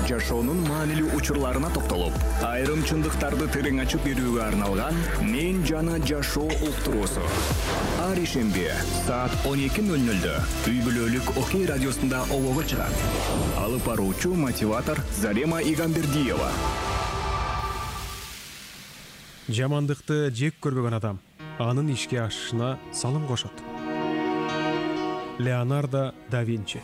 жашоонун маанилүү учурларына токтолуп, айрым чындыктарды терең ачып берүүгө арналган «Мен жана жашоо» уктуруусу. Ар ишемби саат 12:00 үй бүлөлүк Окей радиосунда обого чыгат. Алып баруучу мотиватор Зарема Игамбердиева. Жамандыкты жек көрбөгөн адам анын ишке ашышына салым кошот. Леонардо да Винчи.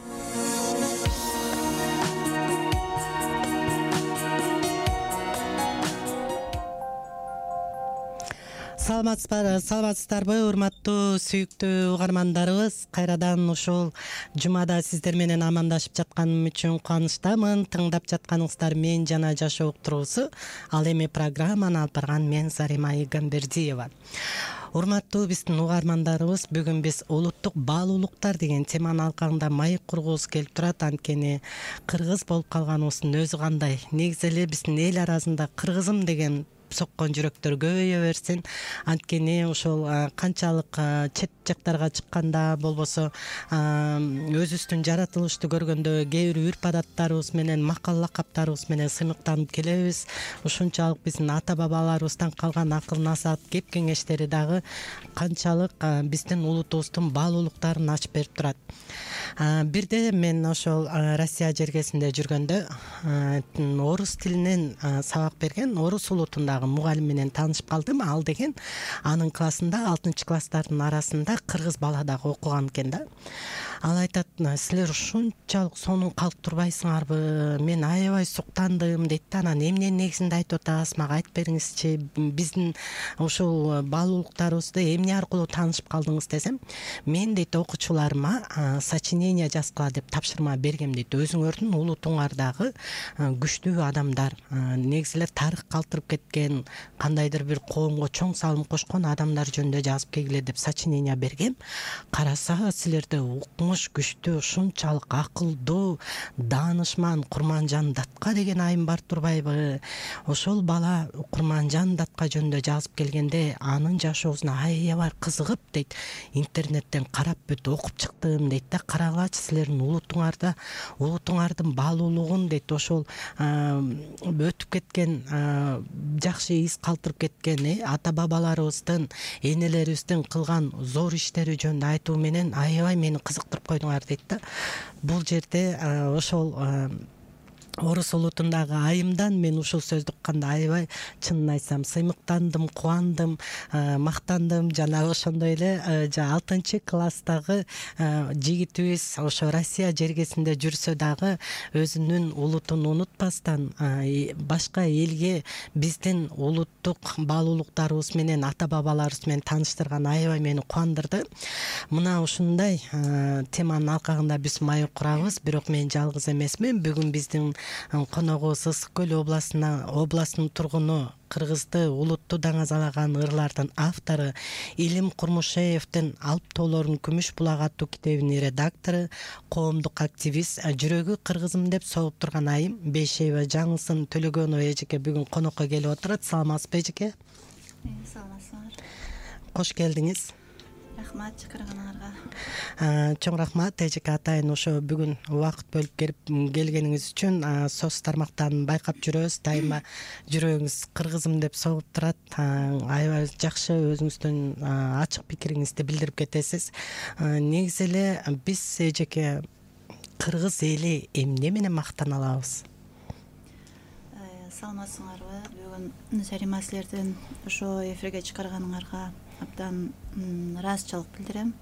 Саламатсыздарбы, урматтуу сүйүктүү угармандарыбыз. Кайрадан ушул жумада сиздер менен амандашып жатканым үчүн кубанычтамын. Тыңдап жатканыңыздар «Мен жана жашоо» уктуруусу. Ал эми программаны алып барган мен Зарема Игамбердиева. Урматтуу биздин угармандарыбыз, бүгүн биз улуттук баалуулуктар деген теманын алкагында маек кургубуз келип турат. Анткени кыргыз болуп калганыбыздын өзү кандай. Негизи эле биздин эл арасында кыргызым деген соккон жүрөктөр көбөйө берсин. Анткени ошол канчалык чет жактарга чыкканда болбосо өзүбүздүн жаратылышты көргөндө кээ бир үрп адаттарыбыз менен, макал лакаптарыбыз менен сыймыктанып келебиз. Ушунчалык биздин ата бабаларыбыздан калган акыл насаат, кеп кеңештери дагы канчалык биздин улутубуздун баалуулуктарын ачып берип турат. Бирде мен ошол Россия жергесинде жүргөндө орус тилинен сабак берген орус улутундагы мугалим менен таанышып калдым. Ал деген анын классында 6-класстардын арасында кыргыз бала дагы окуган экен да. Ал айтат: "Силер ушунчалык сонун калып турбайсыңарбы? Мен аябай суктандым" дейт да. Анан эмненин негизинде айтып атасыз, мага айтып бериңизчи. Биздин ушул баалуулуктарыбызды эмне аркылуу таанышып калдыңыз десем, мен дейт окуучуларыма сочинение жазгыла деп тапшырма бергем дейт. Өзүңөрдүн улутуңардагы күчтүү адамдар, негизи эле тарых калтырып кеткен, кандайдыр бир коомго чоң салым кошкон адамдар жөнүндө жазып келгиле деп сочинение бергем. Караса, силерде укмуш күчтүү, ушунчалык акылдуу, даанышман Курманжан Датка деген айым бар турбайбы? Ошол бала Курманжан Датка жөнүндө жазып келгенде анын жашоосуна аябай кызыгып дейт, интернеттен карап бүт окуп чыктым дейт да. Карагылачы силердин улутуңардын баалуулугун дейт, ошол өтүп кеткен жакшы из калтырып кеткен ата бабаларыбыздын, энелерибиздин кылган зор иштери жөнүндө айтуу менен аябай мени кызыктырып койдуңар дейт да. Бул жерде ошол орус улутундагы айымдан мен ушул сөздү укканда аябай, чынын айтсам, сыймыктандым, кубандым, мактандым. Жана ошондой эле 6-класстагы жигитибиз ошо Россия жергесинде жүрсө дагы өзүнүн улутун унутпастан башка элге биздин улуттук баалуулуктарыбыз менен, ата бабаларыбыз менен тааныштырган аябай мени кубандырды. Мына ушундай теманын алкагында биз маек курабыз. Бирок мен жалгыз эмесмин. Бүгүн биздин коногубуз Ысык Көл областынын тургуну, кыргызды улутту даңазалаган ырлардын автору Илим Курмушеевдин Алп тоолорунун күмүш булак аттуу китебинин редактору, коомдук активист, жүрөгү кыргызым деп согуп турган айым Бейшеева Жаңылсын Төлөгөнова эжеке бүгүн конокко келип отурат. Саламатсызбы эжеке? Саламатсыздар. Кош келдиңиз. Рахмат чакырганыңарга. Чоң рахмат эжеке атайын, ошо бүгүн убакыт бөлүп келгениңиз үчүн. Соц тармактан байкап жүрөбүз, дайыма жүрөгүңүз кыргызым деп согуп турат. Аябай жакшы, өзүңүздүн ачык пикириңизди билдирип кетесиз. Негизи эле биз эжеке кыргыз эли эмне менен мактана алабыз? Саламатсыңарбы? Бүгүн Зарема силердин ошо эфирге чыгарганыңарга абдан ыраазычылык билдирем.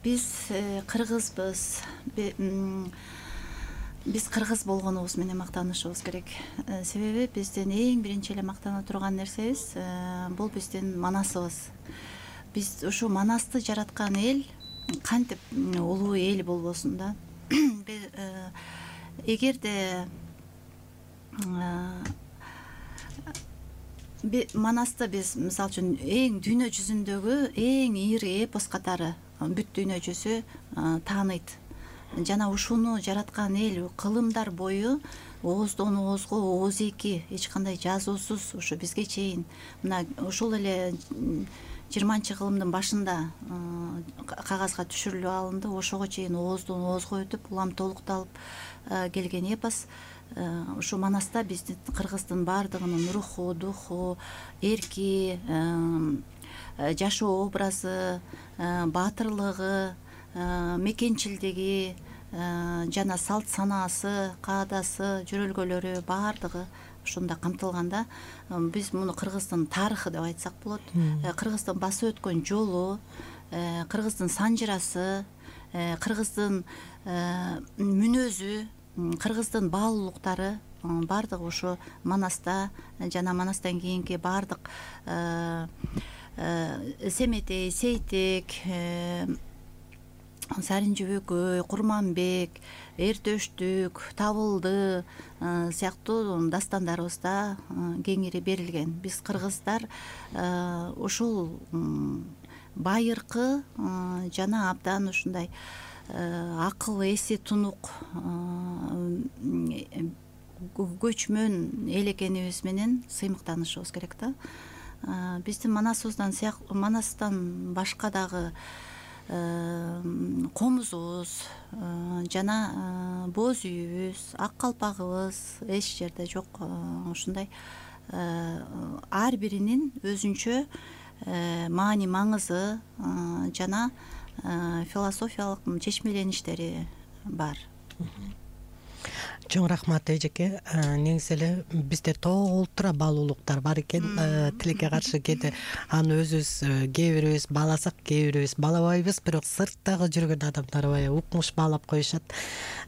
Биз кыргызбыз. Биз кыргыз болгонубуз менен мактанышыбыз керек. Себеби биздин эң биринчи эле мактана турган нерсебиз бул биздин манасыбыз. Биз ушу манасты жараткан эл кантип улуу эл болбосун да. Эгерде манасты биз мисалы үчүн эң дүйнө жүзүндөгү эң ири эпос катары бүт дүйнө жүзү тааныйт. Жана ушуну жараткан эл кылымдар бою ооздон оозго ооз эки эч кандай жазуусуз ушу бизге чейин мына ушул эле 20-кылымдын башында кагазга түшүрүлүп алынды. Ошого чейин ооздон оозго өтүп, улам толукталып келген эпос. Ушу Манаста биздин кыргыздын баардыгынын руху, духу, эрки, жашоо образы, баатырлыгы, мекенчилдиги жана салт санаасы, каадасы, жүрөлгөлөрү баардыгы ушунда камтылганда, биз муну кыргыздын тарыхы деп айтсак болот. Кыргыздын басып өткөн жолу, кыргыздын санжырасы, кыргыздын мүнөзү, кыргыздын баалуулуктары баардыгы ошо Манаста жана Манастан кийинки баардык Семетей, Сейтек, Саринжүбөкөй, Курманбек, Эртөштүк, Табылды сыяктуу дастандарыбызда кеңири берилген. Биз кыргыздар ушул байыркы жана абдан ушундай акыл эси тунук көчмөн эл экенибиз менен сыймыктанышыбыз керек да. Биздин Манастан башка дагы комузубуз жана боз үйүбүз, ак калпагыбыз эч жерде жок. Ушундай ар биринин өзүнчө маани маңызы жана философиялык чечмелеништери бар. Чоң рахмат эжеке. Негизи эле бизде толтура баалуулуктар бар экен. Тилекке каршы кээде аны өзүбүз кээ бирибиз бааласак, кээ бирибиз баалабайбыз, бирок сырттагы жүргөн адамдар баягы укмуш баалап коюшат.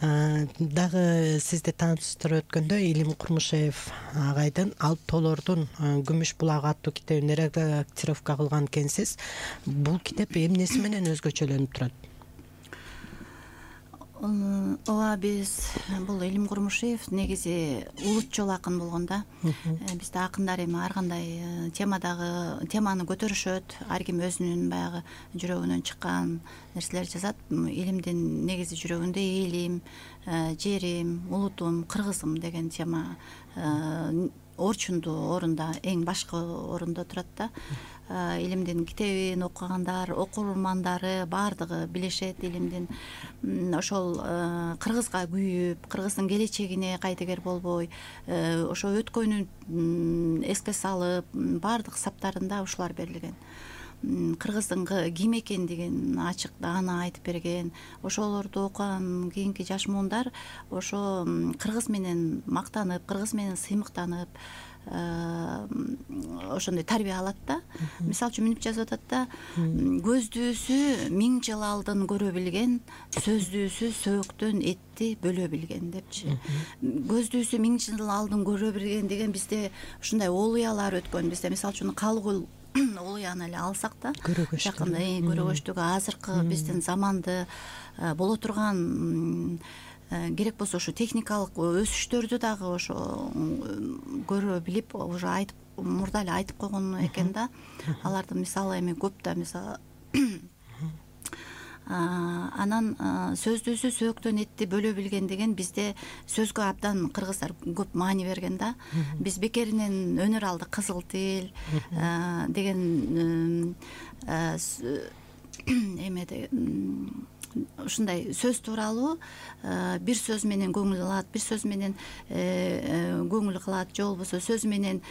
Дагы сизди тааныштырып өткөндө Илим Курмушев агайдын Алып тоолордун Күмүш булагы аттуу китебин редактировка кылган экенсиз. Бул китеп эмнеси менен өзгөчөлөнүп турат? Ооба, биз бул Илим Курмушев негизи улутчул акын болгон да. Бизде акындар эми ар кандай теманы көтөрүшөт, ар ким өзүнүн баягы жүрөгүнөн чыккан нерселер жазат. Илимдин негизи жүрөгүндө элим, жерим, улутум, кыргызым деген тема орчундуу орунда, эң башкы орунда турат да. Илимдин китебин окугандар, окурмандары баардыгы билишет Илимдин. Ошол кыргызга күйүп, кыргыздын келечегине кайтегер болбой, ошо өткөнүн эске салып, баардык саптарында ушулар берилген. Кыргыздын ким экендигин ачык даана айтып берген. Ошолорду окуган кийинки жаш муундар ошо кыргыз менен мактанып, кыргыз менен сыймыктанып, ошондой тарбия алат да. Мисалы үчүн мынтип жазып атат да: көздүүсү 1000 жыл алдын көрө билген, сөздүүсү сөөктөн этти бөлө билген депчи. Көздүүсү 1000 жыл алдын көрө билген деген бизде ушундай олуялар өткөн. Бизде мисалы үчүн Калыгул олуяны эле алсак да, жакында көрөгөчтүгү азыркы биздин заманды боло турган керек болсо ушу техникалык өсүштөрдү дагы ошо көрө билип, уже айтып, мурда эле айтып койгон экен да. Алардын мисалы эми көп да, мисалы анан сөздүүсү сөөктөн этти бөлө билген деген бизде сөзгө абдан кыргыздар көп маани берген да. Биз бекеринен өнөр алдык кызыл тил деген эмеде ушундай сөз тууралуу бир сөз менен көңүл алат, бир сөз менен көңүл кылат, же болбосо сөз менен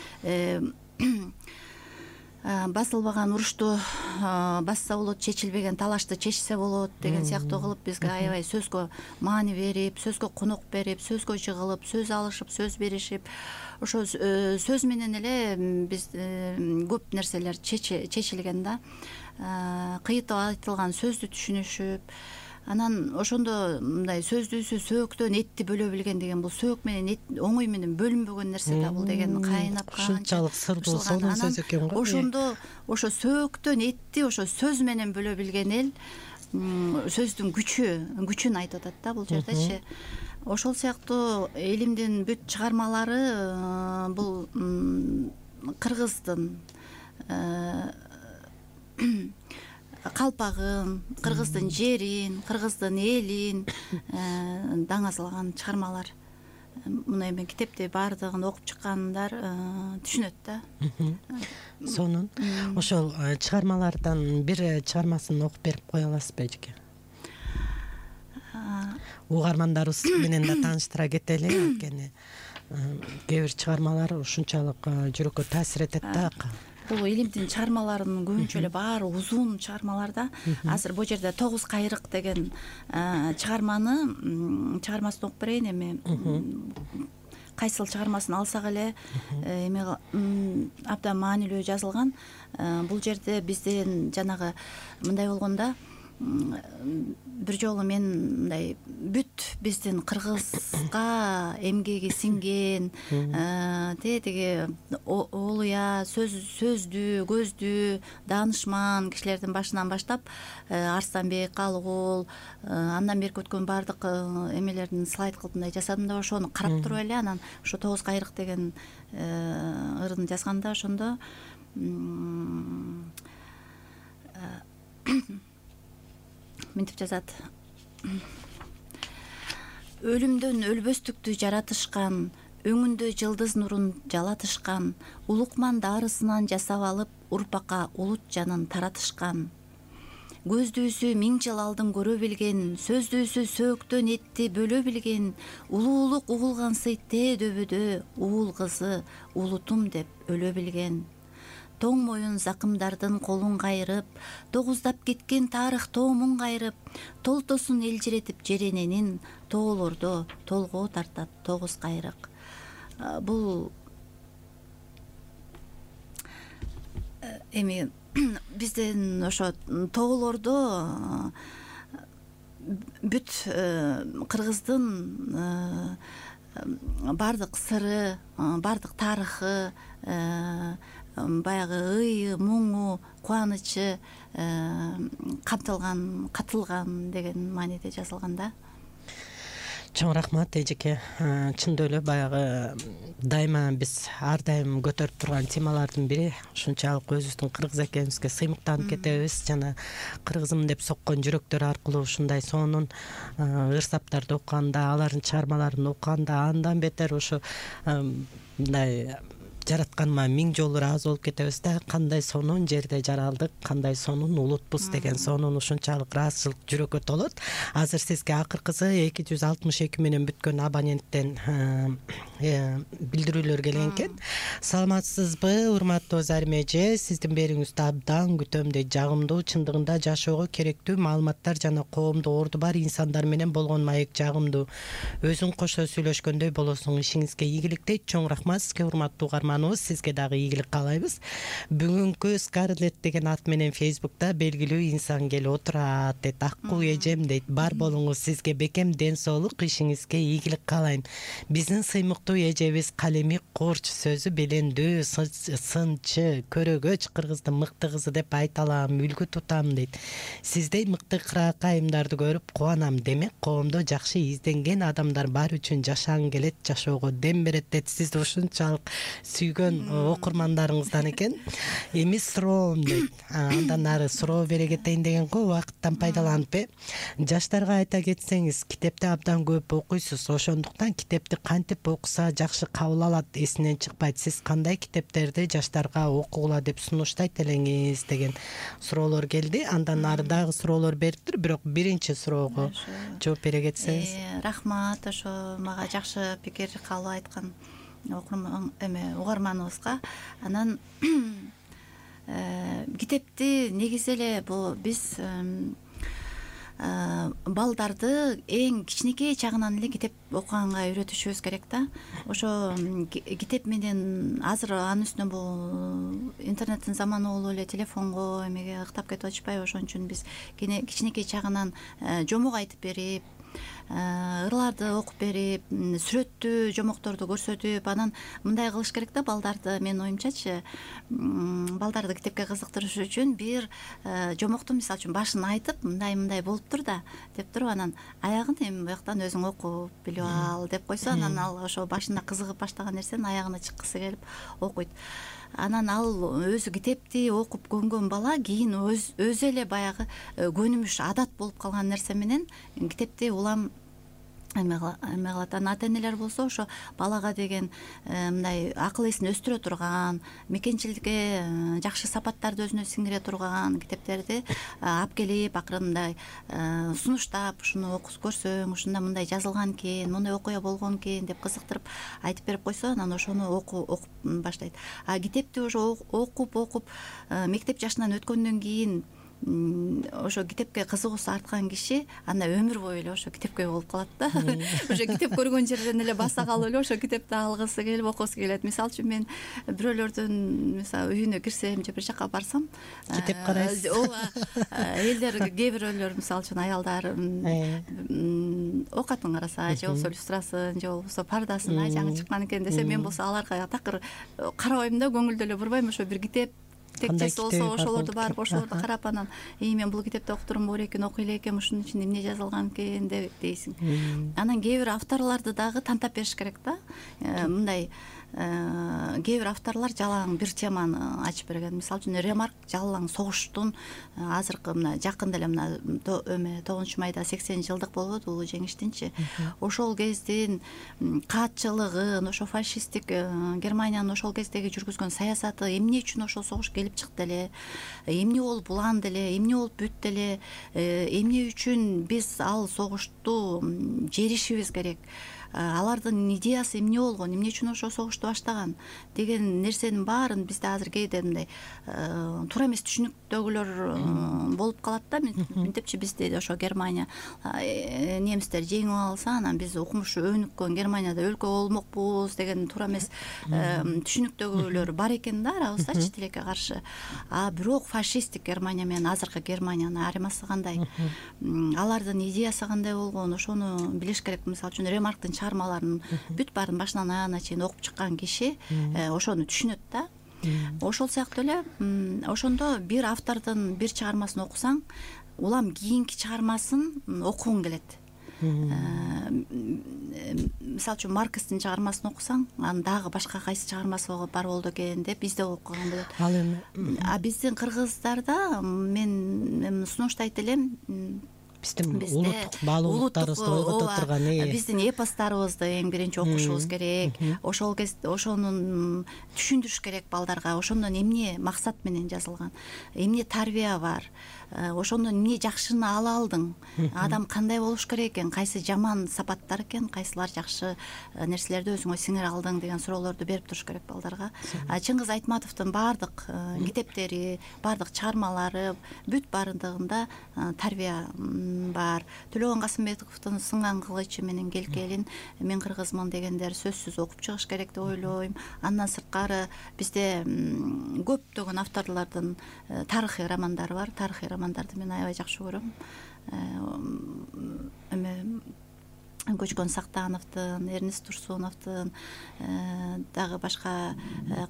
басылбаган урушту басса болот, чечилбеген талашты чечсе болот деген сыяктуу кылып бизге аябай сөзгө маани берип, сөзгө конок берип, сөзгө жыгылып, сөз алышып, сөз беришип, ошо сөз менен эле биз көп нерселер чечилген да. Кыйытып айтылган сөздү түшүнүшүп, анан ошондо мындай сөздүүсү сөөктөн этти бөлө билген деген бул сөөк менен эт оңой менен бөлүнбөгөн нерсе да бул деген кайнап ушунчалык сырдуу сонун сөз экен го. Ошондо ошо сөөктөн этти ошо сөз менен бөлө билген эл сөздүн күчүн айтып атат да бул жердечи. Ошол сыяктуу Илимдин бүт чыгармалары бул кыргыздын калпагын, кыргыздын жерин, кыргыздын элин даңазалаган чыгармалар. мына эми китепти баардыгын окуп чыккандар түшүнөт да. Сонун ошол чыгармалардан бир чыгармасын окуп берип кое аласызбы эжеке? Угармандарыбыз менен да тааныштыра кетели, анткени кээ бир чыгармалар ушунчалык жүрөккө таасир этет да. Бул илимдин чыгармаларынын көбүнчө эле баары узун чыгармалар да. Азыр бул жерде 9 кайрык деген чыгармасын окуп берейин. Эми кайсыл чыгармасын алсак эле эми абдан маанилүү жазылган. Бул жерде бизден жанагы мындай болгондо бир жолу мен мындай бүт биздин кыргызга эмгеги сиңген тиги олуя сөздүү көздүү даанышман кишилердин башынан баштап Арстанбек, Калыгул андан берки өткөн баардык эмелердин слайд кылып мындай жасадым да, ошону карап туруп эле анан ошо 9 кайрык деген ырын жазганда ошондо мынтип жазат: өлүмдөн өлбөстүктү жаратышкан, өңүндө жылдыз нурун жалатышкан, улукман дарысынан жасап алып урпакка улут жанын таратышкан. Көздүүсү 1000 жыл алдын көрө билген, сөздүүсү сөөктөн этти бөлө билген, улуулук угулган сый дөбөдө, уул кызы улутум деп өлө билген. Тоң моюн закымдардын колун кайрып, тогуздап кеткен тарых тоомун кайрып, толтосун элжиретип жерененин, тоолордо толгоо тартат 9 кайрык. Бул эми бизден ошо тоолордо бүт кыргыздын баардык сыры, баардык тарыхы, баягы ыйы, муңу, кубанычы камтылган, катылган деген мааниде жазылган да. Чоң рахмат эжеке. Чындап эле баягы дайыма биз ар дайым көтөрүп турган темалардын бири ушунчалык өзүбүздүн кыргыз экенибизге сыймыктанып кетебиз жана кыргызым деп соккон жүрөктөр аркылуу ушундай сонун ырсаптарды окуганда, алардын чыгармаларын окуганда андан бетер ошо мындай жаратканыма 1000 жолу ыраазы болуп кетебиз да. Кандай сонун жерде жаралдык, кандай сонун улутпуз деген сонун ушунчалык ыраазычылык жүрөккө толот. Азыр сизге акыркысы 262 менен бүткөн абоненттен билдирүүлөр келген экен. Саламатсызбы, урматтуу Зарим эже? Сиздин берүүңүздү абдан күтөм дейт. Жагымдуу, чындыгында жашоого керектүү маалыматтар жана коомдо орду бар инсандар менен болгон маек жагымдуу. Өзүң кошо сүйлөшкөндөй болосуң. Ишиңизге ийгилик дейт. Чоң рахмат сизге, урматтуу сизге дагы ийгилик каалайбыз. Бүгүнкү Скарлетт деген ат менен Фейсбукта белгилүү инсан келип отурат дейт. Аккуу эжем дейт. Бар болуңуз, сизге бекем ден соолук, ишиңизге ийгилик каалайм. Биздин сыймыктуу эжебиз калеми корч, сөзү белендүү, сынчы, көрөгөч кыргыздын мыкты кызы деп айта алам, үлгү тутам дейт. Сиздей мыкты кыракайымдарды көрүп кубанам. Демек коомдо жакшы изденген адамдар бар үчүн жашагың келет, жашоого дем берет дейт. Сизди ушунчалык сүйгөн окурмандарыңыздан экен. Эми суроом дейт. Андан ары суроо бере кетейин деген го, убакыттан пайдаланып жаштарга айта кетсеңиз, китепти абдан көп окуйсуз, ошондуктан китепти кантип окуса жакшы кабыл алат, эсинен чыкпайт. Сиз кандай китептерди жаштарга окугула деп сунуштайт элеңиз деген суроолор келди. Андан ары дагы суроолор бериптир, бирок биринчи суроого жооп бере кетсеңиз. Рахмат, ошо мага жакшы пикир кабыл айткан угарманыбызга. Анан китепти негизи эле бул биз балдарды эң кичинекей чагынан эле китеп окуганга үйрөтүшүбүз керек да. Ошо китеп менен азыр анын үстүнө бул интернеттин заманы болуп эле телефонго эмеге ыктап кетип атышпайбы? Ошон үчүн биз кичинекей чагынан жомок айтып берип, ырларды окуп берип, сүрөттүү жомокторду көрсөтүп, анан мындай кылыш керек да балдарды. Менин оюмчачы, балдарды китепке кызыктырыш үчүн бир жомокту мисалы үчүн башын айтып, мындай болуптур да деп туруп, анан аягын эми буяктан өзүң окуп билип ал деп койсо, анан ал ошо башында кызыгып баштаган нерсенин аягына чыккысы келип окуйт. Анан ал өзү китепти окуп көнгөн бала кийин өзү эле баягы көнүмүш адат болуп калган нерсе менен китепти улам эме кылат. Ата энелер болсо ошо балага деген мындай акыл эсин өстүрө турган, мекенчиликке жакшы сапаттарды өзүнө сиңире турган китептерди алып келип акырын мындай сунуштап, ушуну окуп көрсөң, ушунда мындай жазылган экен, мындай окуя болгон экен деп кызыктырып айтып берип койсо, анан ошону окуп баштайт. А китепти ошо окуп мектеп жашынан өткөндөн кийин ошо китепке кызыгуусу арткан киши анда өмүр бою эле ошо китепке болуп калат да. Уже китеп көргөн жерден эле баса калып эле ошо китепти алгысы келип окугусу келет. Мисалы үчүн мен бирөөлөрдүн мисалы үйүнө кирсем же бир жака барсам, китеп карайсыз. Ооба, элдер кээ бирөөлөр мисалы үчүн аялдар оокатын караса, же болбосо люстрасын, же болбосо пардасын жаңы чыккан экен десе, мен болсо аларга такыр карабайм да, көңүлдө эле бурбайм. Ошо бир китеп текчеси болсо ошолорду барып ошолорду карап, анан мен бул китепти окутурум бар экен, окуй эле экенм, ушунун ичинде эмне жазылган экен дейсиң. Анан кээ бир авторлорду дагы тантап бериш керек да. Мындай кээ бир авторлор жалаң бир теманы ачып берген. Мисалы үчүн Ремарк жалаң согуштун азыркы мына жакында эле мына 9 майда 80 жылдык болбоду улуу жеңиштинчи. Ошол кездин каатчылыгын, ошо фашисттик Германиянын ошол кездеги жүргүзгөн саясаты, эмне үчүн ошол согуш келип чыкты эле, эмне болуп уланды эле, эмне болуп бүттү эле, эмне үчүн биз ал согушту жеришибиз керек, алардын идеясы эмне болгон, эмне үчүн ошол согушту баштаган деген нерсенин баарын бизде азыр кээде мындай туура эмес түшүнүктөгүлөр болуп калат да. Мынтепчи бизде ошо Германия немистер жеңип алса, анан биз укмушу өнүккөн Германияда өлкө болмокпуз деген туура эмес түшүнүктөгүлөр бар экен да арабыздачы тилекке каршы. А бирок фашисттик Германия менен азыркы Германиянын айырмасы кандай, алардын идеясы кандай болгон, ошону билиш керек. Мисалы үчүн Ремарктын чыгармаларын бүт баарын башынан аягына чейин окуп чыккан киши ошону түшүнөт да. Ошол сыяктуу эле ошондо бир автордун бир чыгармасын окусаң, улам кийинки чыгармасын окугуң келет. Мисалы үчүн Маркстин чыгармасын окусаң, анан дагы башка кайсы чыгармасы бар болду экен деп изде окуган болот. Ал эми биздин кыргыздарда мен сунуштайт элем, биздин улуттук баалуулуктарыбызды ойгото турган биздин эпосторубузду эң биринчи окушубуз керек. Ошол кезде ошонун түшүндүрүш керек балдарга. Ошондон эмне максат менен жазылган, эмне тарбия бар, ошондон эмне жакшыны ала алдың, адам кандай болуш керек экен, кайсы жаман сапаттар экен, кайсылар жакшы нерселерди өзүңө сиңире алдың деген суроолорду берип туруш керек балдарга. Чыңгыз Айтматовдун баардык китептери, баардык чыгармалары бүт баардыгында тарбия бар. Төлөгөн Касымбековдун Сынган кылычы менен Келкелин, мен кыргызмын дегендер сөзсүз окуп чыгыш керек деп ойлойм. Андан сырткары бизде көптөгөн авторлордун тарыхый романдары бар. Тарыхый романдарды мен аябай жакшы көрөм. Көчкөн Сактановдун, Эрнест Турсуновдун, дагы башка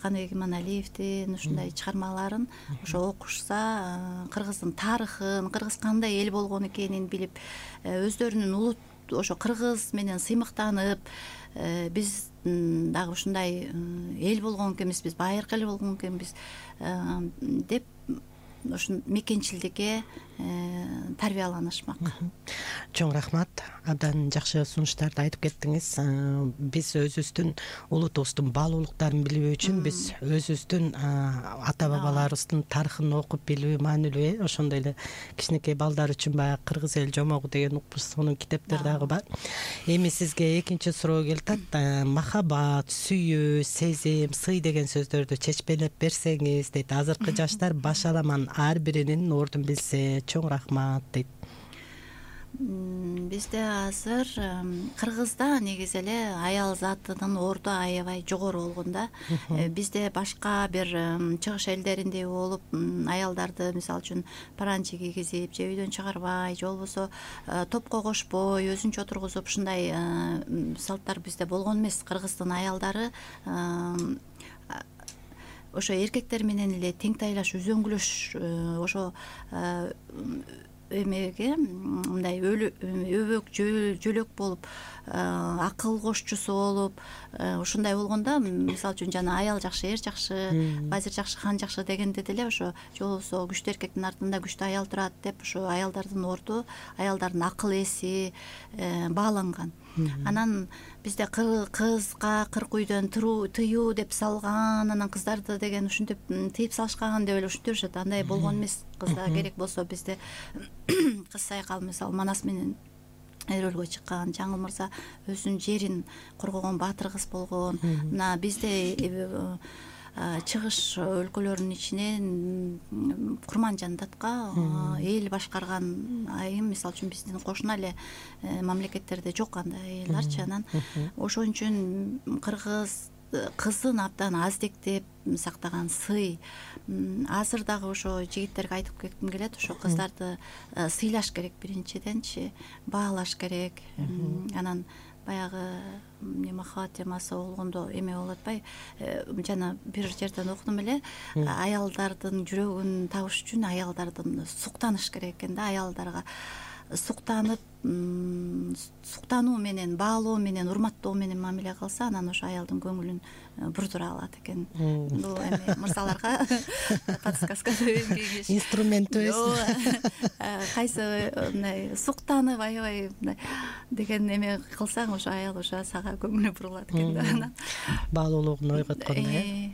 Каныбек Иманалиевдин ушундай чыгармаларын ошо окушса, кыргыздын тарыхын, кыргыз кандай эл болгон экенин билип, өздөрүнүн улут ошо кыргыз менен сыймыктанып, биз дагы ушундай эл болгон экенбиз, биз байыркы эл болгон экенбиз деп ушун мекенчилдикке тарбияланышмак. Чоң рахмат. Абдан жакшы сунуштарды айтып кеттиңиз. Биз өзүбүздүн улутубуздун баалуулуктарын билүү үчүн биз өзүбүздүн ата бабаларыбыздын тарыхын окуп билүү маанилүү. Ошондой эле кичинекей балдар үчүн баягы Кыргыз эл жомогу деген укмуштугунун китептери дагы бар. Эми сизге экинчи суроо келип атат. Махабат, сүйүү, сезим, сый деген сөздөрдү чечпелеп берсеңиз дейт. Азыркы жаштар башаламан ар биринин ордун билсе, чоң рахмат дейт. Бизде азыр Кыргызда негизи эле аял затынын орду аябай жогору болгон да. Бизде башка бир чыгыш элдериндей болуп, аялдарды мисалы үчүн паранчи кийгизип, же үйдөн чыгарбай, же болбосо топко кошпой, өзүнчө отургузуп, ушундай салттар бизде болгон эмес. Кыргыздын аялдары ошо эркектер менен эле тең тайлаш, үзөңгүлөш, ошо эмеге мындай өбөк жөлөк болуп, акыл кошчусу болуп, ушундай болгондо, мисалы үчүн жана аял жакшы, эр жакшы, базир жакшы, хан жакшы дегенде деле ошо же болбосо күчтүү эркектин артында күчтүү аял турат деп ошо аялдардын орду, аялдардын акыл эси бааланган. Анан бизде кызга 40 үйдөн тыюу деп салган, анан кыздарды деген ушинтип тыйып салышкан деп эле ушинтип жүрүшөт. Андай болгон эмес. Кызга керек болсо бизде кыз сайкал мисалы Манас менен Эрөлгө чыккан, Жаңыл мырза өзүнүн жерин коргогон баатыр кыз болгон. Мына бизде чыгыш өлкөлөрүнүн ичинен Курманжан Датка эл башкарган айым, мисалы үчүн биздин кошуна эле мамлекеттерде жок андай аялдарчы. Анан ошон үчүн кыргыз кызын абдан аздектеп сактаган сый. Азыр дагы ошо жигиттерге айтып кетким келет, ошо кыздарды сыйлаш керек, биринчиденчи баалаш керек. Анан баягы махабат темасы болгондо эме болуп атпайбы, жана бир жерден окудум эле, аялдардын жүрөгүн табыш үчүн аялдардын суктаныш керек экен да. Аялдарга суктанып, суктануу менен, баалоо менен, урматтоо менен мамиле кылса, анан ошо аялдын көңүлүн бурдура алат экен. Бул эми мырзаларга подсказка кеңеш, инструментибиз. Кайсы мындай суктанып, аябай мындай деген эме кылсаң, ошо аял ошо сага көңүлү бурулат экен да. Баалуулугун ойготкондой.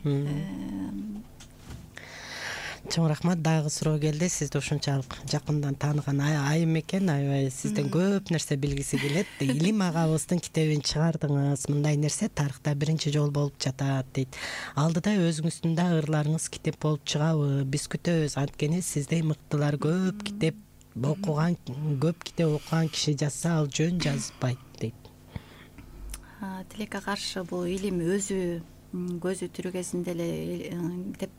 Чоң рахмат. Дагы суроо келди. Сизди ушунчалык жакындан тааныган айым экен, аябай сизден көп нерсе билгиси келет. Илим агабыздын китебин чыгардыңыз. Мындай нерсе тарыхта биринчи жолу болуп жатат дейт. Алдыда өзүңүздүн да ырларыңыз китеп болуп чыгабы? Биз күтөбүз. Анткени сиздей мыктылар көп китеп окуган, көп китеп окуган киши жазса, ал жөн жазбайт дейт. Тилекке каршы бул илим өзү көзү тирүү кезинде эле китеп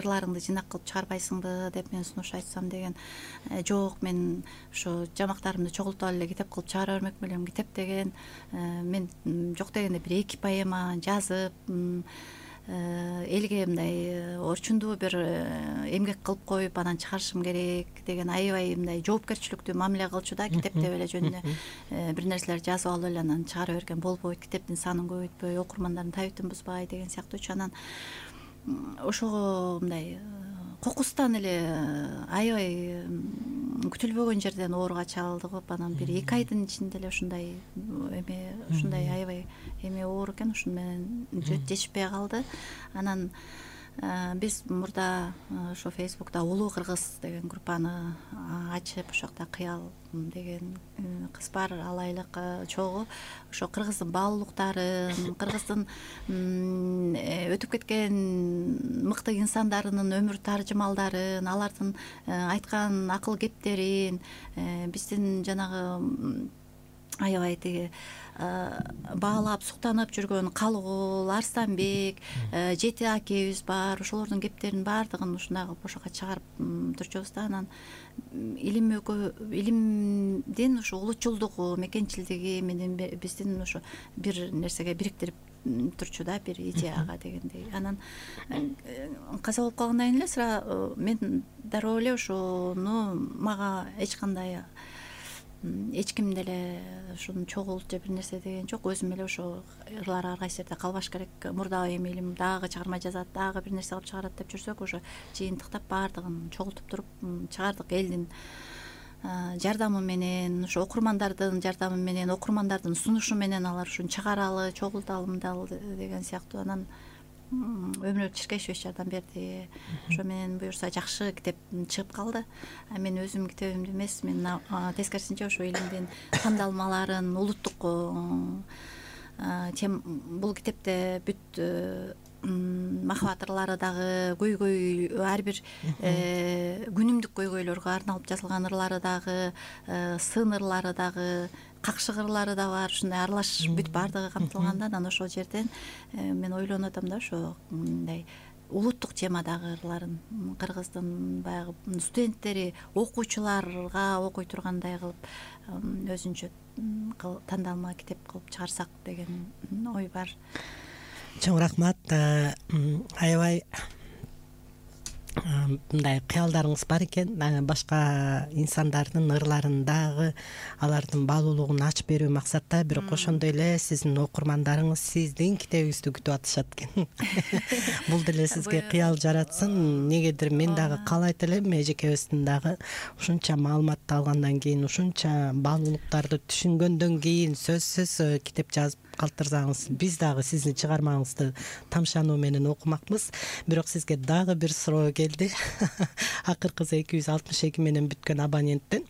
ырларыңды жыйнак кылып чыгарбайсыңбы деп мен сунуш айтсам деген. Жок, мен ошо жамактарымды чогултуп эле китеп кылып чыгара бермек белем. Китеп деген мен жок дегенде бир 2 поэма жазып, элге мындай орчундуу бир эмгек кылып коюп анан чыгарышым керек деген аябай мындай жоопкерчиликтүү мамиле кылчу да. Китеп деп эле жөнүнө бир нерселер жазып алып эле анан чыгара берген болбойт, китептин санын көбөйтпөй, окурмандардын табитин бузбай деген сыяктуучу. Анан ошого мындай кокустан эле аябай күтүлбөгөн жерден ооруга чалдыгып, анан бир 2 айдын ичинде эле ушундай эме, ушундай аябай эме оору экен, ушуну менен жетишпей калды. Анан биз мурда ошо Фейсбукта Улуу Кыргыз деген группаны ачып, ошол жакта Кыял деген кыз бар, ал айлык чогуу ошо кыргыздын баалуулуктарын, кыргыздын өтүп кеткен мыкты инсандарынын өмүр таржымалдарын, алардын айткан акыл кептерин, биздин жанагы аябай тиги баалап суктанып жүргөн Калыгул, Арстанбек, Жети акебиз бар, ошолордун кептеринин баардыгын ушундай кылып ошого чыгарып турчубуз да. Анан илимдин ушу улутчулдугу, мекенчилдиги менен биздин ошо бир нерсеге бириктирип турчу да, бир идеяга дегендей. Анан каза болуп калгандан кийин эле сыра мен дароо эле ошону мага эч ким деле ушуну чогулт же бир нерсе деген жок. Өзүм эле ошо ырлар ар кайсы жерде калбаш керек. Мурда эми илим дагы чыгарма жазат, дагы бир нерсе кылып чыгарат деп жүрсөк, ошо жыйынтыктап баардыгын чогултуп туруп чыгардык. Элдин жардамы менен, ошо окурмандардын жардамы менен, окурмандардын сунушу менен алар ушуну чыгаралы, чогулталы мындалы деген сыяктуу. Анан өмүрбек Чиркешевич жардам берди. Ошо менен буюрса жакшы китеп чыгып калды. Мен өзүм китебимди эмес, мен тескерисинче ошо илимдин тандалмаларын, улуттук бул китепте бүт махабат ырлары дагы, көйгөй, ар бир күнүмдүк көйгөйлөргө арналып жазылган ырлары дагы, сын ырлары дагы, какшык ырлары да бар, ушундай аралаш бүт баардыгы камтылган да. Анан ошол жерден мен ойлонуп атам да, ошо мындай улуттук темадагы ырларын кыргыздын баягы студенттери, окуучуларга окуй тургандай кылып өзүнчө тандалма китеп кылып чыгарсак деген ой бар. Чоң рахмат. Аябай мындай кыялдарыңыз бар экен, башка инсандардын ырларын дагы алардын баалуулугун ачып берүү максатта, бирок ошондой эле сиздин окурмандарыңыз сиздин китебиңизди күтүп атышат экен. Бул деле сизге кыял жаратсын. Негедир мен дагы каалайт элем, эжекебиздин дагы ушунча маалыматты алгандан кийин, ушунча баалуулуктарды түшүнгөндөн кийин сөзсүз китеп жазып калтырсаңыз, биз дагы сиздин чыгармаңызды тамшануу менен окумакпыз. Бирок сизге дагы бир суроо келди. Акыркысы 262 менен бүткөн абоненттен.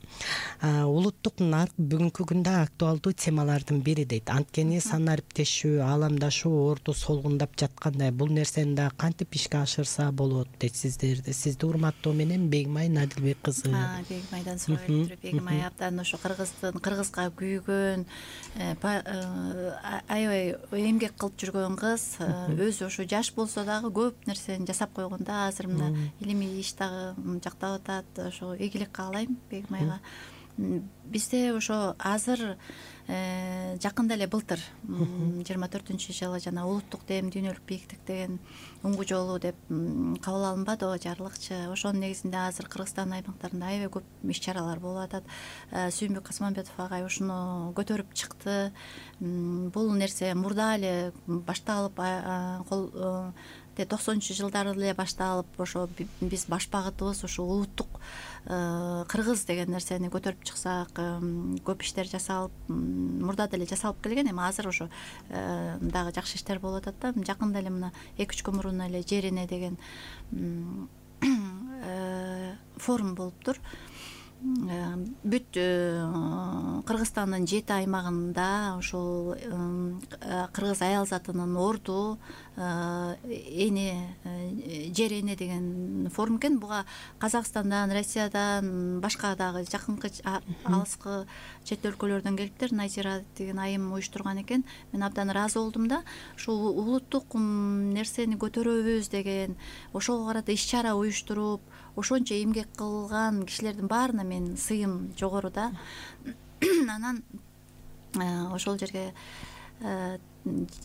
Улуттук нарк бүгүнкү күндө актуалдуу темалардын бири дейт. Анткени сан ариптешүү, ааламдашуу орду солгундап жаткандай, бул нерсени да кантип ишке ашырса болот дейт сиздерди. Сизди урматтоо менен Бегимай Надилбек кызы. Бегимайдан сурап туруп, Бегимай абдан ошо кыргызга күйгөн, аябай эмгек кылып жүргөн кыз, өзү ошо жаш болсо дагы көп нерсени жасап койгон да. Азыр мына илимий иш дагы жактап атат. Ошо ийгилик каалайм Бегимайга. Бизде ошо азыр жакында эле былтыр 24-жылы жана улуттук дем дүйнөлүк бийиктик деген уңгу жолу деп кабыл алынбадыбы, жарлыкчы. Ошонун негизинде азыр Кыргызстан аймактарында аябай көп иш-чаралар болуп атат. Сүйүнбүк Касманбетов агай ушуну көтөрүп чыкты. Бул нерсе мурда эле башталып, 90-жылдары эле башталып, ошо биз баш багытыбыз ошо улуттук кыргыз деген нерсени көтөрүп чыксак, көп иштер жасалып, мурда деле жасалып келген, эми азыр ошо дагы жакшы иштер болуп атат да. Жакында эле мына 2-3 күн мурун эле Жер эне деген форум болуптур. Бүт Кыргызстандын 7 аймагында ошол кыргыз аял затынын орду эне, Жер эне деген форум экен. Буга Казакстандан, Россиядан, башка дагы жакынкы алыскы чет өлкөлөрдөн келиптир. Назира деген айым уюштурган экен. Мен абдан ыраазы болдум да. Ушул улуттук нерсени көтөрөбүз деген, ошого карата иш-чара уюштуруп, ошончо эмгек кылган кишилердин баарына мен сыйым жогору да. Анан ошол жерге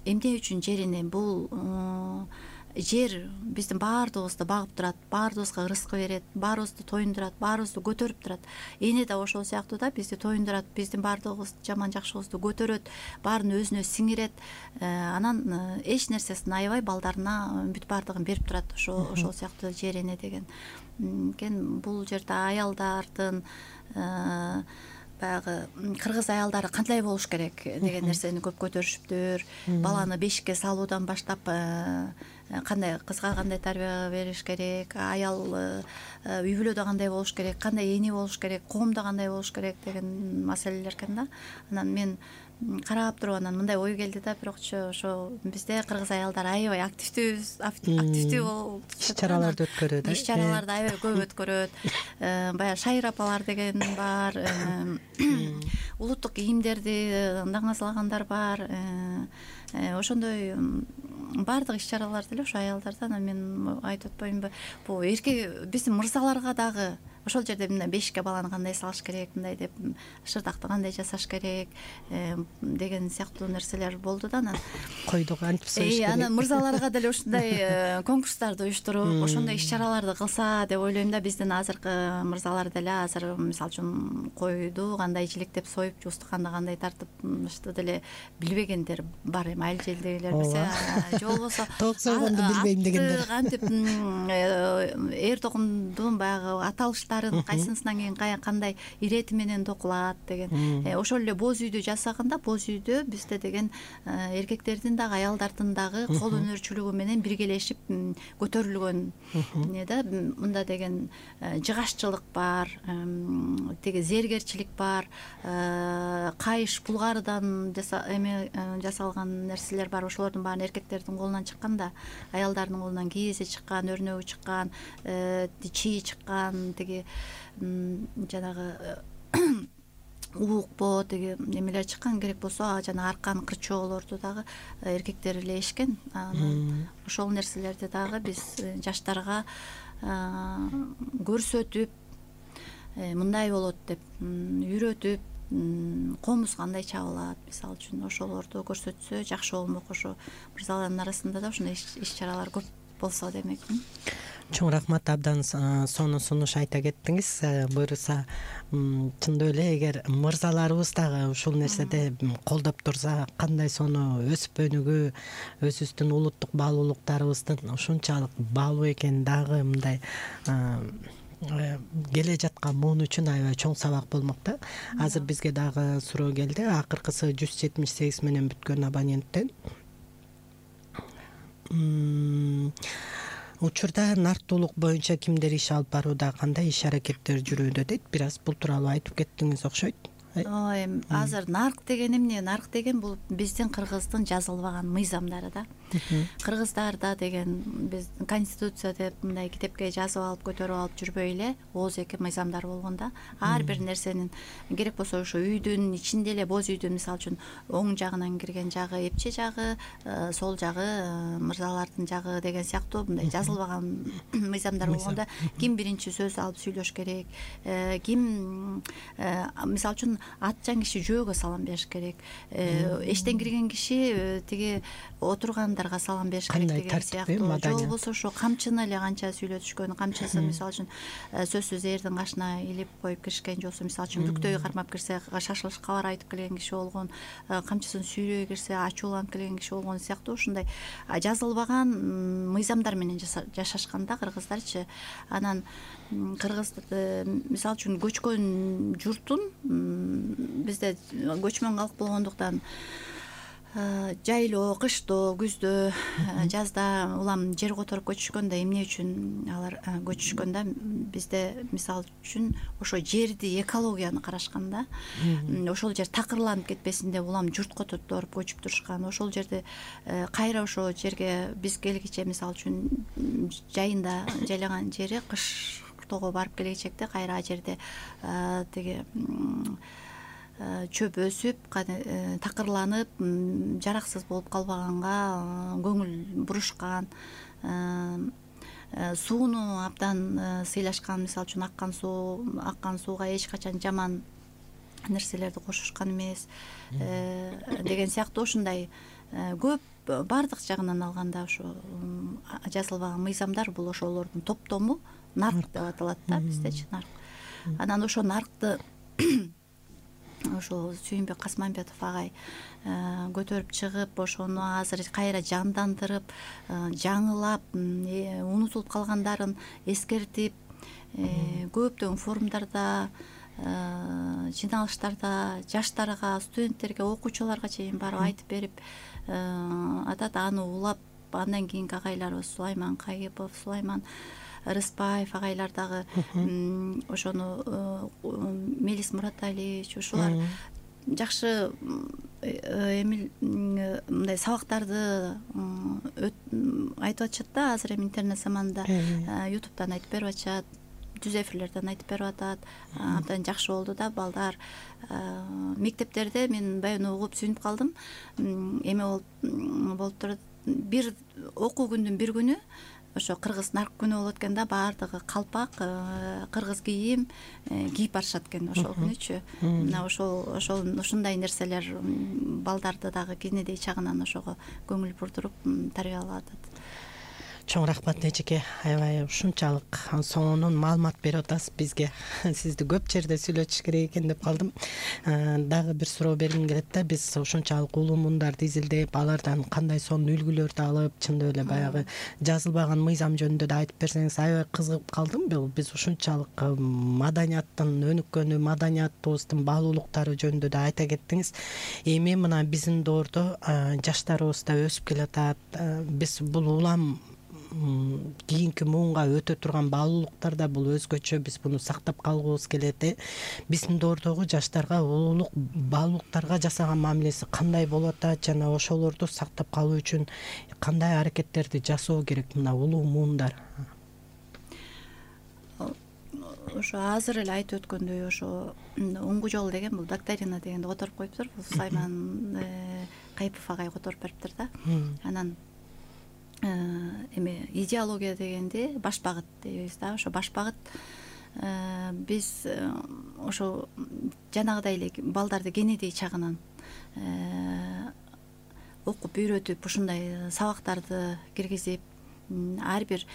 эмне үчүн Жер эне, бул жер биздин баардыгыбызды багып турат, баардыгыбызга ырыскы берет, баарыбызды тоюндурат, баарыбызды көтөрүп турат. Эне да ошол сыяктуу да, бизди тоюндурат, биздин баардыгыбыз жаман жакшыбызды көтөрөт, баарын өзүнө сиңирет. Анан эч нерсесин аябай балдарына бүт баардыгын берип турат. Ошол сыяктуу Жер эне деген. Бул жерде аялдардын баягы кыргыз аялдары кандай болуш керек деген нерсени көп көтөрүшүптүр. Баланы бешикке салуудан баштап кандай кызга кандай тарбия бериш керек, аял үй бүлөдө кандай болуш керек, кандай эне болуш керек, коомдо кандай болуш керек деген маселелер экен да. Анан мен карап туруп анан мындай ой келди да, бирокчу ошо бизде кыргыз аялдар аябай активдүү болуп иш-чараларды өткөрөт. Иш-чараларды аябай көп өткөрөт. Баягы шайыр апалар деген бар, улуттук кийимдерди даңазалагандар бар. Ошондой баардык иш-чаралар деле ошо аялдардан. Мен айтып атпаймынбы, бул эркек биздин мырзаларга дагы ошол жерде мына бешикке баланы кандай салыш керек, мындай деп шырдакты кандай жасаш керек деген сыяктуу нерселер болду да. Анан койду кантип союш керек. Анан мырзаларга деле ушундай конкурстарды уюштуруп, ошондой иш-чараларды кылса деп ойлойм да. Биздин азыркы мырзалар деле азыр мисалы үчүн койду кандай жиликтеп союп, устуканды кандай тартыпты деле билбегендер бар. Эми айыл желдегилер билсе, же болбосо тоок сойгонду билбейм дегендер. Кантип эр токумдун баягы аталыштарын кайсынысынан кийин кандай ирети менен токулат деген. Ошол эле боз үйдү жасаганда, боз үйдө бизде деген эркектердин дагы аялдардын дагы кол өнөрчүлүгү менен биргелешип көтөрүлгөн эмне да. Мында деген жыгашчылык бар, теги зергерчилик бар, кайыш булгарыдан жасалган нерселер бар. Ошолордун баарын эркектердин колунан чыккан да, аялдардын колунан кийизи чыккан, өрнөгү чыккан, чийи чыккан, теги жанагы уукпо теги немелер чыккан. Керек болсо жана аркан кырчоолорду дагы эркектер илешкен. Ошол нерселерди дагы биз жаштарга көрсөтүп, мындай болот деп үйрөтүп, комуз кандай чабылат мисалы үчүн ошолорду көрсөтсө жакшы болмок. Ошо мырзалардын арасында да ушундай иш-чаралар көп болсо демекмин. Чоң рахмат, абдан сонун сунуш айта кеттиңиз. Буюрса чындап эле эгер мырзаларыбыз дагы ушул нерседе колдоп турса, кандай сонун өсүп өнүгүү, өзүбүздүн улуттук баалуулуктарыбыздын ушунчалык баалуу экенин дагы мындай келе жаткан муун үчүн аябай чоң сабак болмок да. Азыр бизге дагы суроо келди. Акыркысы 178 менен бүткөн абоненттен. Учурда нарықтуулук боюнча кимдер иш алып барууда, кандай иш аракеттер жүрүүдө дейт. Бир аз бул тууралуу айтып кеттиңиз окшойт. Азыр нарк деген эмне? Нарк деген бул биздин кыргыздын жазылбаган мыйзамдары да. Кыргыздарда деген биз конституция деп мындай китепке жазып алып көтөрүп алып жүрбөй эле ооз-эки мыйзамдар болгон да. Ар бир нерсенин керек болсо ошо үйдүн ичинде эле боз үйдүн мисалы үчүн оң жагынан кирген жагы эпче жагы, сол жагы мырзалардын жагы деген сыяктуу мындай жазылбаган мыйзамдар болгондо ким биринчи сөз алып сүйлөш керек, ким мисалы үчүн атчан киши жөөгө салам бериш керек, эштен кирген киши тиги отургандарга салам бериш керек деген сыяктуу. Же болбосо ошо камчыны эле канча сүйлөтүшкөн, камчысы мисалы үчүн сөзсүз эрдин кашына илип коюп киришкен, же болбосо мисалы үчүн бүктөйгө кармап кирсе, шашылыш кабар айтып келген киши болгон, камчысын сүйрөй кирсе, ачууланып келген киши болгон сыяктуу ушундай жазылбаган мыйзамдар менен жашашканда кыргыздарчы. Анан кыргыз мисалы үчүн көчкөн журттун, бизде көчмөн калк болгондуктан жайлоо, кыштоо, күздө, жазда улам жер которуп көчүшкөндө эмне үчүн алар көчүшкөндө бизде мисалы үчүн ошо жерди, экологияны карашканда ошол жер такырланып кетпесин деп улам журт которуп көчүп турушкан. Ошол жерде кайра ошол жерге биз келгиче мисалы үчүн жайында жайлаган жери кыштоого барып келечекте кайра ал жерде тиги чөп өсүп, такырланып, жараксыз болуп калбаганга көңүл бурушкан, сууну абдан сыйлашкан, мисалы үчүн аккан сууга эч качан жаман нерселерди кошушкан эмес деген сыяктуу ушундай көп баардык жагынан алганда ошо жазылбаган мыйзамдар бул ошолордун топтому нарк деп аталат да биздечи, нарк. Анан ошо наркты ошо Сүйүнбек Касманбетов агай көтөрүп чыгып, ошону азыр кайра жандандырып, жаңылап, унутулуп калгандарын эскертип, көптөгөн форумдарда, жиналыштарда жаштарга, студенттерге, окуучуларга чейин барып айтып берип атат. Аны улап, андан кийинки агайларыбыз Сулайман Кайыпов, Сулайман Рыспаев агайлар дагы ошону, Мелис Мураталиевич, ушулар жакшы мындай сабактарды айтып атышат да. Азыр эми интернет заманында ютубтан айтып берип атышат, түз эфирлерден айтып берип атат. Абдан жакшы болду да. Балдар мектептерде мен баягы угуп сүйүнүп калдым. Эме болуп турат, бир окуу күндүн бир күнү ошо кыргыз нарк күнү болот экен да. Баардыгы калпак, кыргыз кийим кийип барышат экен ошол күнүчү. Мына ушундай нерселер балдарды дагы кенедей чагынан ошого көңүл бурдуруп тарбиялап атат. Чоң рахмат Нечике, аябай ушунчалык сонун маалымат берип атасыз бизге. Сизди көп жерде сүйлөтүш керек экен деп калдым. Дагы бир суроо бергим келет да. Биз ушунчалык улуу мундарды изилдеп, алардан кандай сонун үлгүлөрдү алып, чындап эле баягы жазылбаган мыйзам жөнүндө да айтып берсеңиз, аябай кызыгып калдым. Биз ушунчалык маданияттын өнүккөнү, маданиятыбыздын баалуулуктары жөнүндө да айта кеттиңиз. Эми мына биздин доордо жаштарыбыз да өсүп келатат. Биз бул улам кийинки муунга өтө турган баалуулуктар да бул өзгөчө. Биз буну сактап калгыбыз келет. Биздин доордогу жаштарга улуулук баалуулуктарга жасаган мамилеси кандай болуп атат жана ошолорду сактап калуу үчүн кандай аракеттерди жасоо керек мына улуу муундар? Ошо азыр эле айтып өткөндөй, ошо оңгу жол деген бул докторина дегенди которуп коюптур. Бул Сулайман Кайыпов агай которуп бериптир да. Анан эми идеология дегенде баш багыт дейбиз да. Ошо баш багыт биз ошо жанагыдай эле балдарды кенедей чагынан окуп үйрөтүп, ушундай сабактарды киргизип, ар бир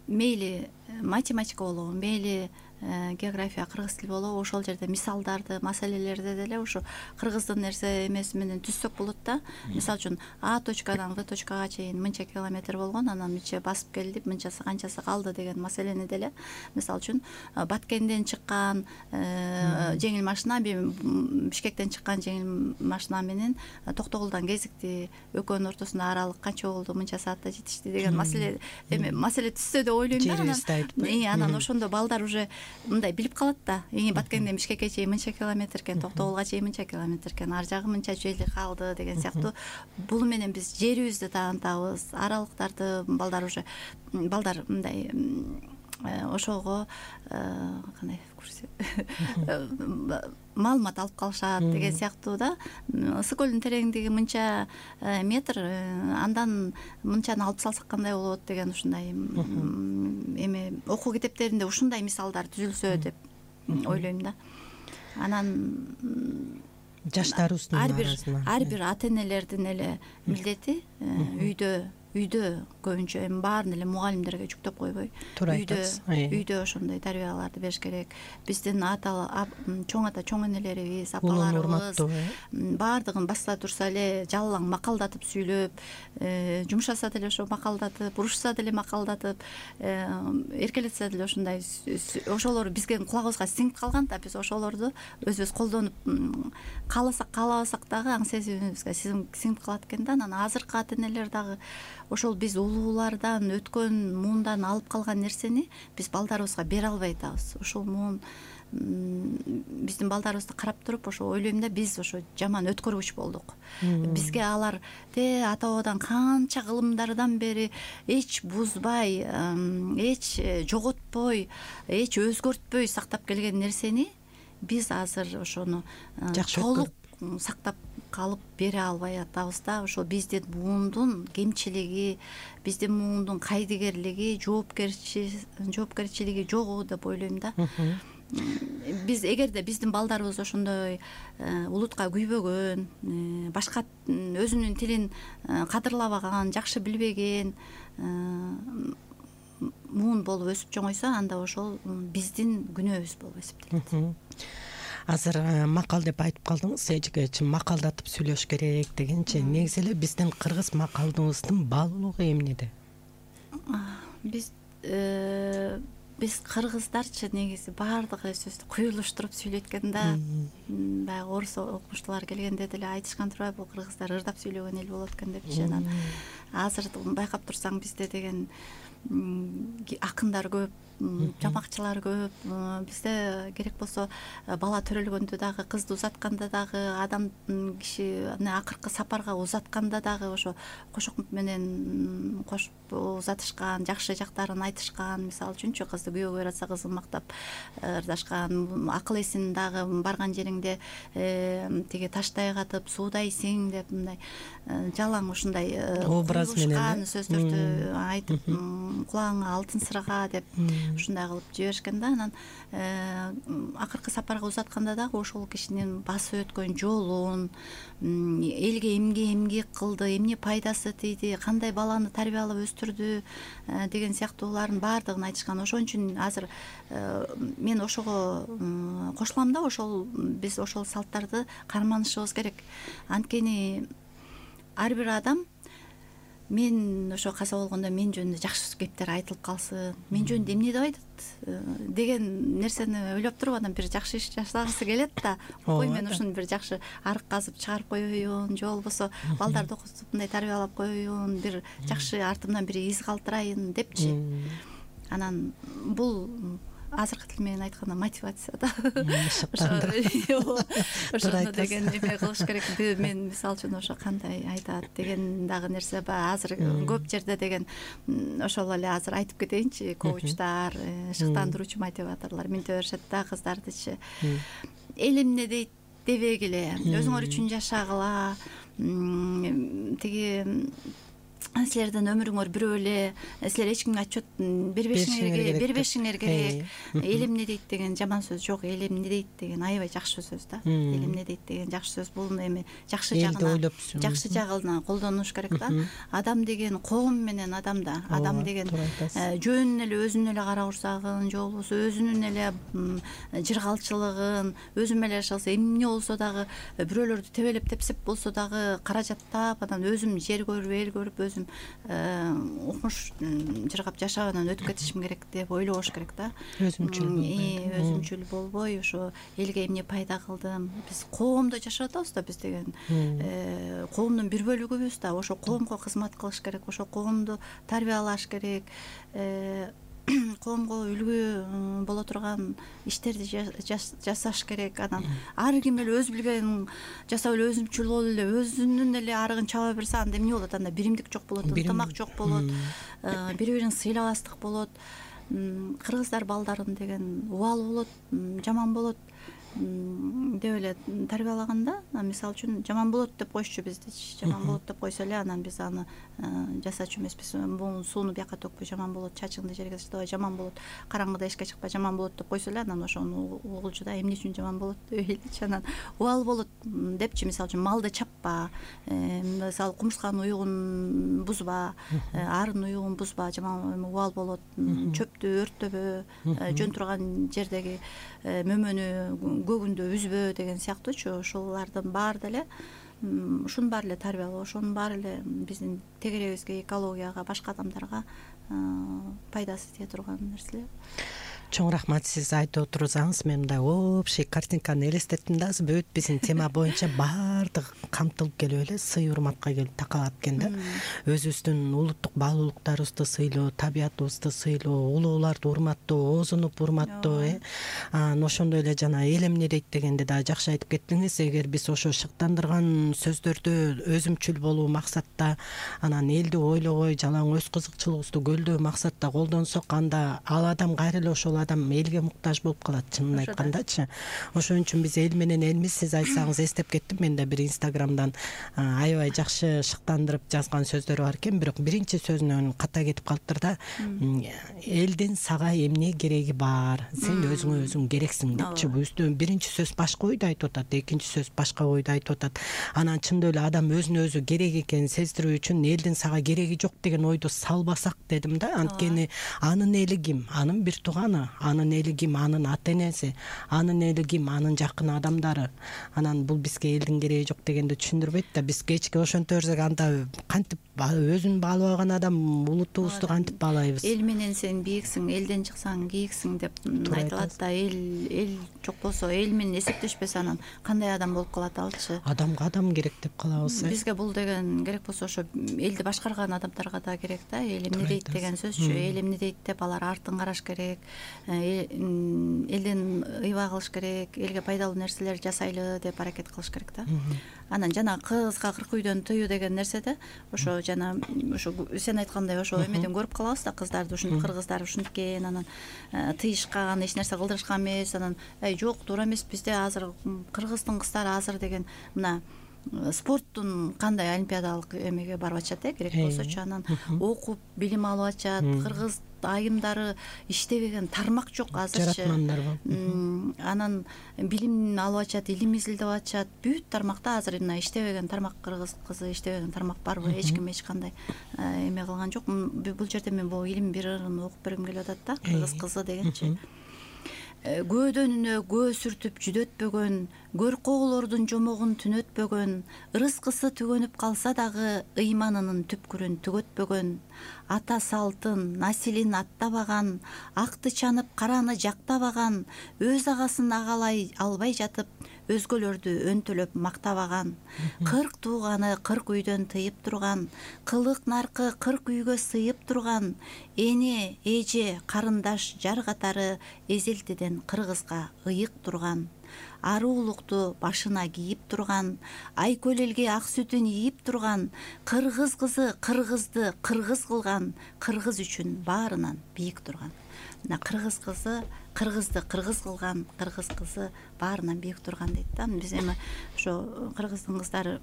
мейли математика болобу, мейли география, кыргыз тили болобу, ошол жерде мисалдарды, маселелерди деле ушу кыргыздын нерсе эмеси менен түзсөк болот да. Мисалы үчүн А точкадан В точкага чейин мынча километр болгон, анан мынча басып келди, мынчасы канчасы калды деген маселени деле. Мисалы үчүн Баткенден чыккан жеңил машина, Бишкектен чыккан жеңил машина менен Токтогулдан кезикти, экөөнүн ортосунда аралык канча болду, мынча саатта жетишти деген маселе түзсө деп ойлойм да. Анан ошондо балдар уже мындай билип калат да. Баткенден Бишкекке чейин мынча километр экен, Токтогулга чейин мынча километр экен, ар жагы мынча жери калды деген сыяктуу. Бул менен биз жерибизди таанытабыз, аралыктарды балдар мындай ошого кандай маалымат алып калышат деген сыяктуу да. Ысык көлдүн тереңдиги мынча метр, андан мынчаны алып салсак кандай болот деген ушундай эме окуу китептеринде ушундай мисалдар түзүлсө деп ойлойм да. Анан жаштарыбыздын арасынан ар бир ата энелердин эле милдети үйдө көбүнчө эми баарын эле мугалимдерге жүктөп койбой, үйдө ошондой тарбияларды бериш керек. Биздин чоң ата, чоң энелерибиз, апаларыбыз баардыгын баста турса эле жалаң макалдатып сүйлөп, жумшаса деле ошо макалдатып, урушса деле макалдатып, эркелетсе деле ошондой, ошолор бизге кулагыбызга сиңип калган да. Биз ошолорду өзүбүз колдонуп кааласак каалабасак дагы аң сезимибизге сиңип калат экен да. Анан азыркы ата энелер дагы ошол биз улуулардан өткөн муундан алып калган нерсени биз балдарыбызга бере албай атабыз. Ошол муун биздин балдарыбызды карап туруп ошо ойлойм да, биз ошо жаман өткөргүч болдук. Бизге алар ата бабадан канча кылымдардан бери эч бузбай, эч жоготпой, эч өзгөртпөй сактап келген нерсени биз азыр ошону толук сактап калып бере албай атабыз да. Ошол биздин муундун кемчилиги, биздин муундун кайдыгерлиги, жоопкерчилиги жогу деп ойлойм да. Биз эгерде биздин балдарыбыз ошондой улутка күйбөгөн, башка өзүнүн тилин кадырлабаган, жакшы билбеген муун болуп өсүп чоңойсо, анда ошол биздин күнөөбүз болуп эсептелет. Азыр макал деп айтып калдыңыз, эжеге макалдатып сүйлөш керек дегенче, негизи эле биздин кыргыз макалыбыздын баалуулугу эмнеде? Биз кыргыздарчы негизи баардык эле сөздү куюлуштуруп сүйлөйт экен да. Баягы орус окумуштуулар келгенде деле айтышкан турбайбы, бул кыргыздар ырдап сүйлөгөн эл болот экен депчи. Анан азыр байкап турсаң бизде деген акындар көп, жамакчылар көп. Бизде керек болсо бала төрөлгөндө дагы, кызды узатканда дагы, адам киши акыркы сапарга узатканда дагы ошо кошокмут менен кошуп узатышкан, жакшы жактарын айтышкан. Мисалы үчүнчү, кызды күйөөгө баратса кызын мактап ырдашкан, акыл эсин дагы барган жериңде тиги таштай катып суудайсың деп мындай жалаң ушундай образ менен сөздөрдү айтып, кулагыңа алтын сырага деп ушундай кылып жиберишкен да. Анан акыркы сапарга узатканда дагы ошол кишинин басып өткөн жолун, элге эмге эмгек кылды, эмне пайдасы тийди, кандай баланы тарбиялап өстүрдү деген сыяктуулардын баардыгын айтышкан. Ошон үчүн азыр мен ошого кошулам да. Ошол биз ошол салттарды карманышыбыз керек. Анткени ар бир адам мен ошо каза болгондо мен жөнүндө жакшы кептер айтылып калсын, мен жөнүндө эмне деп айтат деген нерсени ойлоп туруп анан бир жакшы иш жасагысы келет да. Ой, мен ушуну бир жакшы арык казып чыгарып коеюн, же болбосо балдарды окутуп мындай тарбиялап коеюн, бир жакшы артымдан бир из калтырайын депчи. Анан бул азыркы тил менен айтканда мотивация да. Ошону деген эме кылыш керек. Мен мисалы үчүн ошо кандай айтат деген дагы нерсе бар. Азыр көп жерде деген ошол эле азыр айтып кетейинчи, коучтар, шыктандыруучу мотиваторлор минте беришет да кыздардычы. Эл эмне дейт дебегиле, өзүңөр үчүн жашагыла, тиги силердин өмүрүңөр бирөө эле, силер эч кимге отчет бербешиңер керек. Эл эмне дейт деген жаман сөз жок, эл эмне дейт деген аябай жакшы сөз да. Эл эмне дейт деген жакшы сөз. Бул эми жакшы жагына колдонуш керек да. Адам деген коом менен адам да. Адам деген жөн эле өзүнө эле карагурсагын, же болбосо өзүнүн эле жыргалчылыгын, өзү менен жашаса эмне болсо дагы, бирөөлөрдү тебелеп тепсеп болсо дагы каражаттап, анан өзүм жер көрүп, эл көрүп, өзүм укмуш жыргап жашап анан өтүп кетишим керек деп ойлобош керек да. Өзүмчүл болбой, ошо элге эмне пайда кылдым. Биз коомдо жашап атабыз да, биз деген коомдун бир бөлүгүбүз да. Ошо коомго кызмат кылыш керек, ошо коомду тарбиялаш керек, коомго үлгү боло турган иштерди жасаш керек. Анан ар ким эле өз билгенин жасап эле өзүмчүл болуп эле өзүнүн эле арыгын чаба берсе, анда эмне болот? Анда биримдик жок болот, ынтымак жок болот, бири бирин сыйлабастык болот. Кыргыздар балдарын деген убал болот, жаман болот деп эле тарбиялаганда, мисалы үчүн жаман болот деп койчу биздичи. Жаман болот деп койсо эле анан биз аны жасачу эмеспиз. Бул сууну бияка төкпөй, жаман болот, чачыңды жерге таштабай, жаман болот, караңгыда эшикке чыкпай, жаман болот деп койсо эле анан ошону угулчу да, эмне үчүн жаман болот деп ойлойчу. Анан убал болот депчи, мисалы үчүн малды чаппа, мисалы кумурсканын уюгун бузба, арын уюгун бузба, жаман убал болот, чөптү өрттөбө, жөн турган жердеги мөмөнү көгүндө үзбө деген сыяктуучу. Ошолордун баары деле ушунун баары эле тарбиялоо, ошонун баары эле биздин тегерегибизге, экологияга, башка адамдарга пайдасы тие турган нерселер. Чоң рахмат, сиз айтып отурсаңыз мен мындай общий картинканы элестеттим да. Бүт биздин тема боюнча баардыгы камтылып келип эле сый урматка келип такалат экен да. Өзүбүздүн улуттук баалуулуктарыбызды сыйлоо, табиятыбызды сыйлоо, улууларды урматтоо, оозунуп урматтоо, ошондой эле жана эл эмне дейт дегенди да жакшы айтып кеттиңиз. Эгер биз ошо шыктандырган сөздөрдү өзүмчүл болуу максатта, анан элди ойлогой, жалаң өз кызыкчылыгыбызды көлдөө максатта колдонсок, анда ал адам кайра эле ошол адам элге муктаж болуп калат, чынын айткандачы. Ошон үчүн биз эл менен элмиз. Сиз айтсаңыз эстеп кеттим, мен да бир Инстаграмдан аябай жакшы шыктандырып жазган сөздөр бар экен, бирок биринчи сөзүнөн ката кетип калыптыр да. Элдин сага эмне кереги бар, сен өзүңө өзүң керексиң депчи. Бул биринчи сөз башка ойду айтып атат, экинчи сөз башка ойду айтып атат. Анан чындап эле адам өзүнө өзү керек экенин сездирүү үчүн элдин сага кереги жок деген ойду салбасак дедим да. Анткени анын эли ким? Анын бир тууганы, анын эли ким? Анын ата энеси, анын эли ким? Анын жакын адамдары. Анан бул бизге элдин кереги жок дегенди түшүндүрбөйт да. Биз кечке ошентип берсек, анда кантип өзүн баалабаган адам улутубузду кантип баалайбыз? Эл менен сен бийиксиң, элден чыксаң кийиксиң деп айтылат да. Эл жок болсо, эл менен эсептешпесе, анан кандай адам болуп калат алчы? Адамга адам керек деп калабыз. Бизге бул деген керек болсо, ошо элди башкарган адамдарга да керек да. Эл эмне дейт деген сөзчү. Эл эмне дейт деп алар артын караш керек. Элден ыйба кылыш керек, элге пайдалуу нерселер жасайлы деп аракет кылыш керек да. Анан жана кызга 40 үйдөн тыюу деген нерседе ошо жана ошо сен айткандай ошо эмеден көрүп калабыз да, кыздарды ушинтип, кыргыздар ушинтип экен, анан тыйышкан, эч нерсе кылдырышкан эмес, анан жок, туура эмес, бизде азыр кыргыздын кыздары азыр деген мына спорттун кандай олимпиадалык эмеге барып атышат, керек болсочу, анан окуп билим алып атышат. Кыргыз айымдары иштебеген тармак жок азырчы. Жаратмандар болуп. Анан билим алып атышат, илим изилдеп атышат. Бүт тармакта азыр мына иштебеген тармак, кыргыз кызы иштебеген тармак барбы? Эч ким эч кандай эме кылган жок. Бул жерде мен бул илим бир ырын окуп бергим келип атат да, кыргыз кызы дегенчи. Көөдөнүнө көө сүртүп жүдөтпөгөн, көркөөлөрдүн жомогун түнөтпөгөн, ырыскысы түгөнүп калса дагы ыйманынын түпкүрүн түгөтпөгөн, ата салтын, насилин аттабаган, акты чанып караны жактабаган, өз агасын агалай албай жатып, өзгөлөрдү өнтөлөп мактабаган, 40 тууганы 40 үйдөн тыйып турган, кылык наркы 40 үйгө сыйып турган, эне, эже, карындаш, жар катары эзелтиден кыргызга ыйык турган, аруулукту башына кийип турган, айкөлелге ак сүтүн ийип турган, кыргыз кызы кыргызды кыргыз кылган, кыргыз үчүн баарынан бийик турган. Мына кыргыз кызы кыргызды кыргыз кылган, кыргыз кызы баарынан бийик турган дейт да. Биз эми ошо кыргыздын кыздары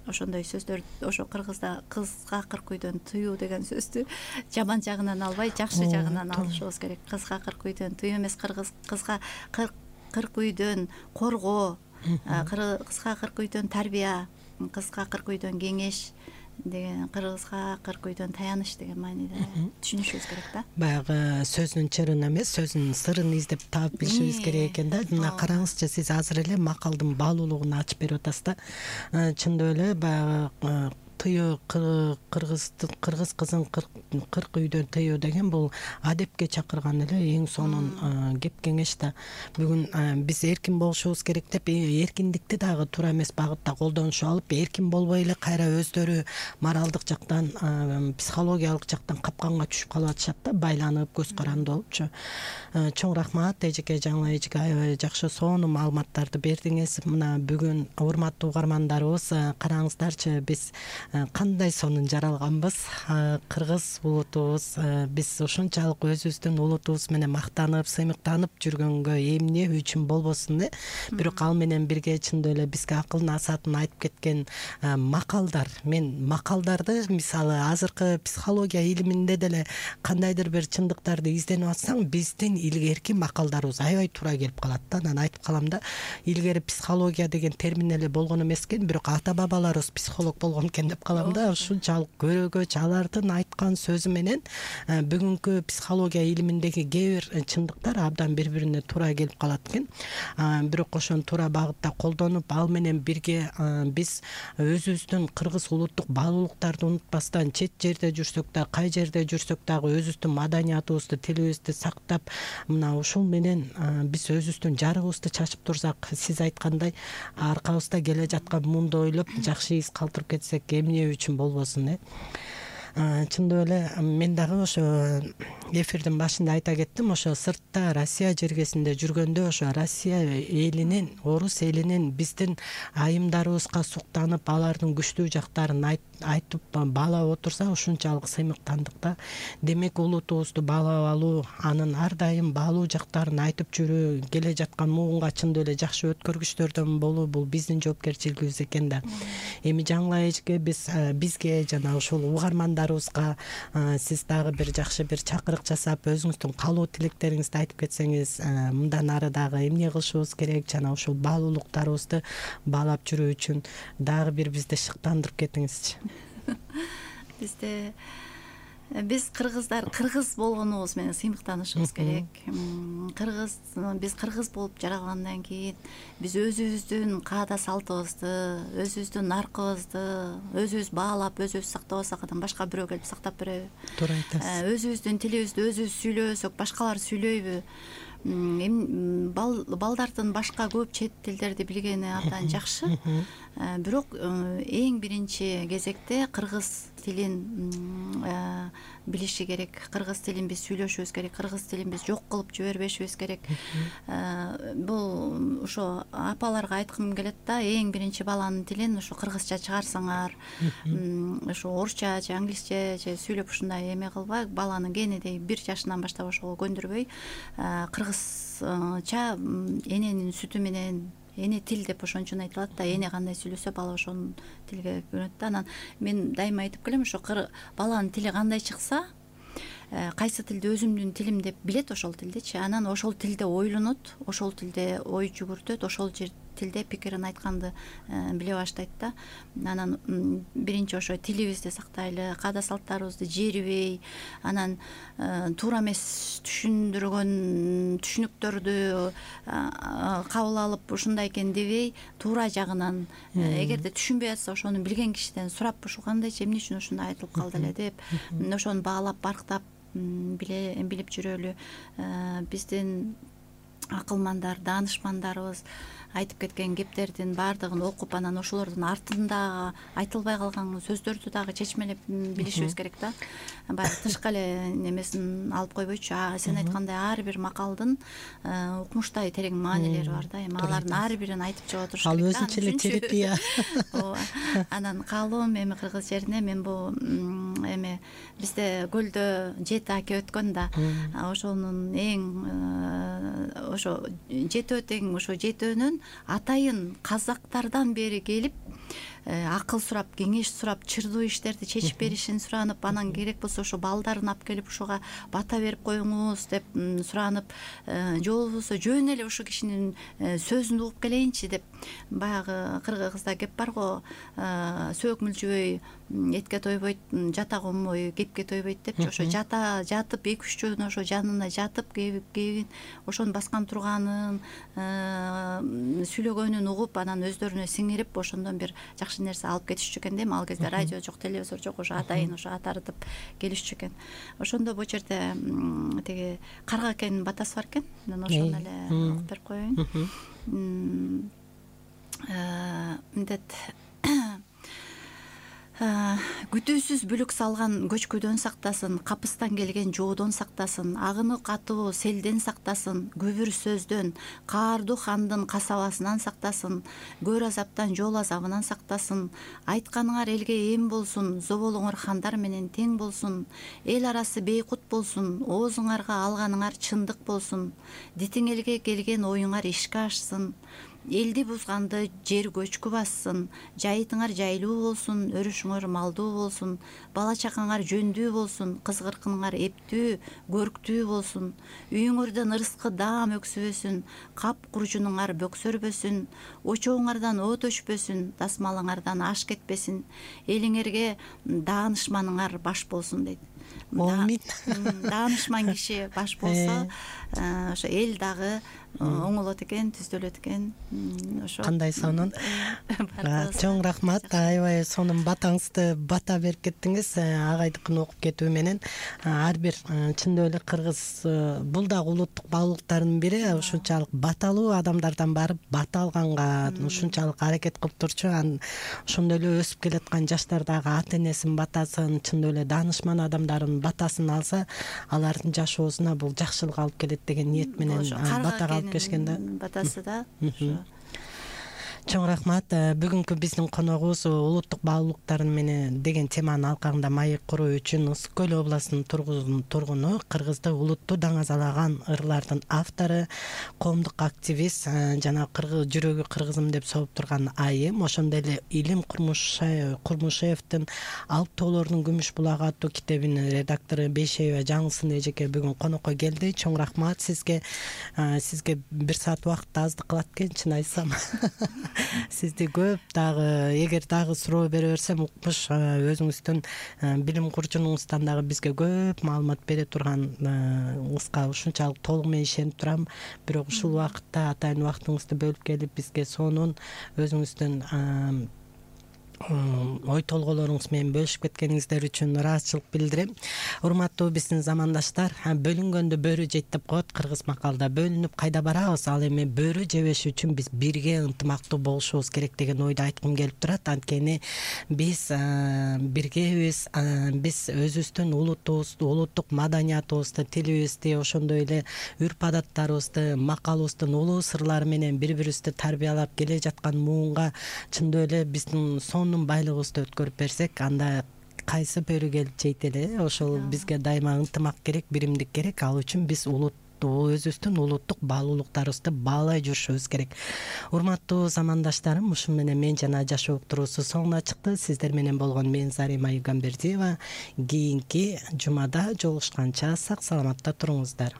ошондой сөздөр, ошо кыргызда кызга кырк үйдөн тыюу деген сөздү жаман жагынан албай, жакшы жагынан алышыбыз керек. Кызга кырк үйдөн тыюу эмес, кызга кырк үйдөн коргоо, кызга кырк үйдөн тарбия, кызга кырк үйдөн кеңеш деген, кыргызга кырк үйдөн таяныч деген мааниде түшүнүшүбүз керек да. Баягы сөзүнүн чырын эмес, сөзүнүн сырын издеп таап билишибиз керек экен да. Мына караңызчы, сиз азыр эле макалдын баалуулугун ачып берип атасыз да. Чындап эле баягы тыюу, кыргыз кызын кырк үйдөн тыюу деген бул адепке чакырган эле эң сонун кеп кеңеш да. Бүгүн биз эркин болушубуз керек деп, эркиндикти дагы туура эмес багытта колдонушуп алып, эркин болбой эле кайра өздөрү моралдык жактан, психологиялык жактан капканга түшүп калып атышат да, байланып, көз каранды болупчу. Чоң рахмат эжеке, жаңы эжеке, аябай жакшы сонун маалыматтарды бердиңиз. Мына бүгүн урматтуу угармандарыбыз, караңыздарчы, биз кандай сонун жаралганбыз. Кыргыз улутубуз, биз ушунчалык өзүбүздүн улутубуз менен мактанып, сыймыктанып жүргөнгө эмне үчүн болбосун э? Бирок ал менен бирге чындап эле бизге акыл насаатын айтып кеткен макалдар. Мен макалдарды, мисалы азыркы психология илиминде деле кандайдыр бир чындыктарды изденип атсаң, биздин илгерки макалдарыбыз аябай туура келип калат да. Анан айтып калам да, илгери психология деген термин эле болгон эмес экен, бирок ата бабаларыбыз психолог болгон экен деп калам да. Ушунчалык көрөгөч алардын айткан сөзү менен бүгүнкү психология илиминдеги кээ бир чындыктар абдан бири-бирине туура келип калат экен. Бирок ошону туура багытта колдонуп, ал менен бирге биз өзүбүздүн кыргыз улуттук баалуулуктарды унутпастан, чет жерде жүрсөк да, кай жерде жүрсөк дагы өзүбүздүн маданиятыбызды, тилибизди сактап, мына ушул менен биз өзүбүздүн жарыгыбызды чачып турсак, сиз айткандай аркабызда келе жаткан муунду ойлоп жакшы из калтырып кетсек, эмне үчүн болбосун э? Чындап эле мен дагы ошо эфирдин башында айта кеттим, ошо сыртта Россия жергесинде жүргөндө ошо Россия элинин, орус элинин биздин айымдарыбызга суктанып, алардын күчтүү жактарын айтып баалап отурса, ушунчалык сыймыктандык да. Демек улутубузду баалап алуу, анын ар дайым баалуу жактарын айтып жүрүү, келе жаткан муунга чындап эле жакшы өткөргүчтөрдөн болуу, бул биздин жоопкерчилигибиз экен да. Эми жаңы эжеке, бизге жана ушул угармандарыбызга сиз дагы бир жакшы бир чакырык жасап, өзүңүздүн каалоо тилектериңизди айтып кетсеңиз, мындан ары дагы эмне кылышыбыз керек, жана ушул баалуулуктарыбызды баалап жүрүү үчүн дагы бир бизди шыктандырып кетиңизчи. Биз кыргыздар кыргыз болгонубуз менен сыймыктанышыбыз керек. Биз кыргыз болуп жаралгандан кийин биз өзүбүздүн каада салтыбызды, өзүбүздүн наркыбызды өзүбүз баалап, өзүбүз сактабасак, анан башка бирөө келип сактап береби? Туура айтасыз. Өзүбүздүн тилибизди өзүбүз сүйлөбөсөк, башкалар сүйлөйбү? Балдардын башка көп чет тилдерди билгени абдан жакшы, бирок эң биринчи кезекте кыргыз тилин билиши керек. Кыргыз тилин биз сүйлөшүбүз керек, кыргыз тилин биз жок кылып жибербешибиз керек. Бул ошо апаларга айткым келет да, эң биринчи баланын тилин ошо кыргызча чыгарсаңар, ошо орусча же англисче же сүйлөп ушундай эме кылбай, баланы кенедей 1 жашынан баштап ошого көндүрбөй, кыргызча эненин сүтү менен, эне тил деп ошон үчүн айтылат да, эне кандай сүйлөсө бала ошонун тилге көнөт да. Анан мен дайыма айтып келем, ошо баланын тили кандай чыкса, кайсы тилди өзүмдүн тилим деп билет, ошол тилдичи, анан ошол тилде ойлонот, ошол тилде ой жүгүртөт, ошол тилде пикирин айтканды биле баштайт да. Анан биринчи ошо тилибизди сактайлы, каада салттарыбызды жерибей, анан туура эмес түшүндүргөн түшүнүктөрдү кабыл алып ушундай экен дебей, туура жагынан, эгерде түшүнбөй атса, ошону билген кишиден сурап, ушул кандайчы, эмне үчүн ушундай айтылып калды эле деп, ошону баалап, барктап билип жүрөлү. Биздин акылмандар, даанышмандарыбыз айтып кеткен кептердин баардыгын окуп, анан ошолордун артында айтылбай калган сөздөрдү дагы чечмелеп билишибиз керек да. Баягы тышкы эле немесин алып койбойчу, сен айткандай ар бир макалдын укмуштай терең маанилери бар да. Эми алардын ар бирин айтып чыга туруш керек да. Ал өзүнчө эле терапия. Анан каалоом эми кыргыз жерине мен бул эми бизде көлдө жети аке өткөн да. Ошонун эң ошо жетөө тең, ошо жетөөнүн атайын казактардан бери келип акыл сурап, кеңеш сурап, чырдуу иштерди чечип беришин суранып, анан керек болсо ошо балдарын алып келип ошого бата берип коюңуз деп суранып, же болбосо жөн эле ошо кишинин сөзүн угуп келейинчи деп, баягы кыргызда кеп бар го, сөөк мүлчүбөй этке тойбойт, жата конбой кепке тойбойт депчи. Ошо жата жатып 2-3 жөн ошо жанына жатып кебин ошонун баскан турганын, сүйлөгөнүн угуп, анан өздөрүнө сиңирип, ошондон бир жакшы нерсе алып кетишчү экен да. Эми ал кезде радио жок, телевизор жок, ошо атайын ошо атартып келишчү экен. Ошондо бул жерде тиги карга акенин батасы бар экен. Мен ошону эле угуп берип коеюн. Мындай күтүүсүз бүлүк салган көчкүдөн сактасын, капыстан келген жоодон сактасын, агыны катуу селден сактасын, көбүр сөздөн, каардуу хандын касабасынан сактасын, көр азаптан жол азабынан сактасын, айтканыңар элге эм болсун, зоболуңар хандар менен тең болсун, эл арасы бейкут болсун, оозуңарга алганыңар чындык болсун, дитиң элге келген оюңар ишке ашсын, элди бузганды жер көчкү бассын, жайытыңар жайлуу болсун, өрүшүңөр малдуу болсун, бала чакаңар жөндүү болсун, кызгыркыныңар эптүү, көрктүү болсун, үйүңөрдөн ырыскы даам өксүбөсүн, кап куржунуңар бөксөрбөсүн, очооңардан от өчпөсүн, дасмалыңардан аш кетпесин, элиңерге даанышманыңар баш болсун дейт. Даанышман киши баш болсо, ошо эл дагы оңолот экен, түздөлөт экен. Ошо кандай сонун. Чоң рахмат. Аябай сонун батаңызды бата берип кеттиңиз. Агайдыкын окуп кетүү менен ар бир чындап эле кыргыз бул дагы улуттук баалуулуктардын бири. Ушунчалык баталуу адамдардан барып бата алганга ушунчалык аракет кылып турчу. Ошондой эле өсүп келаткан жаштар дагы ата энесинин батасын, чындап эле даанышман адамдардын батасын алса, алардын жашоосуна бул жакшылык алып келет деген ниет менен батага алып келишкен да. Батасы да. Чоң рахмат. Бүгүнкү биздин коногубуз улуттук баалуулуктар менен деген теманын алкагында маек куруу үчүн Ысык Көл областынын тургуну, кыргызды улуттуу даңазалаган ырлардын автору, коомдук активист жана кыргыз жүрөгү кыргызым деп согуп турган айым, ошондой эле Илим Курмушевдин Алып тоолордун күмүш булагы аттуу китебинин редактору Бейшеева Жаңылсын эжеке бүгүн конокко келди. Чоң рахмат сизге. Сизге 1 саат убакытты аздык кылат экен, чын айтсам. Сизди көп дагы, эгер дагы суроо бере берсем, укмуш өзүңүздүн билим курчунуңуздан дагы бизге көп маалымат бере турганыңызга ушунчалык толук менен ишенип турам. Бирок ушул убакытта атайын убактыңызды бөлүп келип бизге сонун өзүңүздүн ой толгоолоруңуз менен бөлүшүп кеткениңиздер үчүн ыраазычылык билдирем. Урматтуу биздин замандаштар, бөлүнгөндө бөрү жейт деп коет кыргыз макалда. Бөлүнүп кайда барабыз? Ал эми бөрү жебеш үчүн биз бирге ынтымактуу болушубуз керек деген ойду айткым келип турат. Анткени биз биргебиз, биз өзүбүздүн улуттук маданиятыбызды, тилибизди, ошондой эле үрп-адаттарыбызды, макалыбыздын улуу сырлары менен бири-бирибизди тарбиялап келе жаткан муунга чындап эле биздин байлыгыбызды өткөрүп берсек, анда кайсы бөрү келип жейт эле. Ошол бизге дайыма ынтымак керек, биримдик керек. Ал үчүн биз өзүбүздүн улуттук баалуулуктарыбызды баалай жүрүшүбүз керек. Урматтуу замандаштарым, ушу менен мен жана жашоо уктуруусу соңуна чыкты. Сиздер менен болгон мен Зарима Югамбердиева. Кийинки жумада жолугушканча сак саламатта туруңуздар.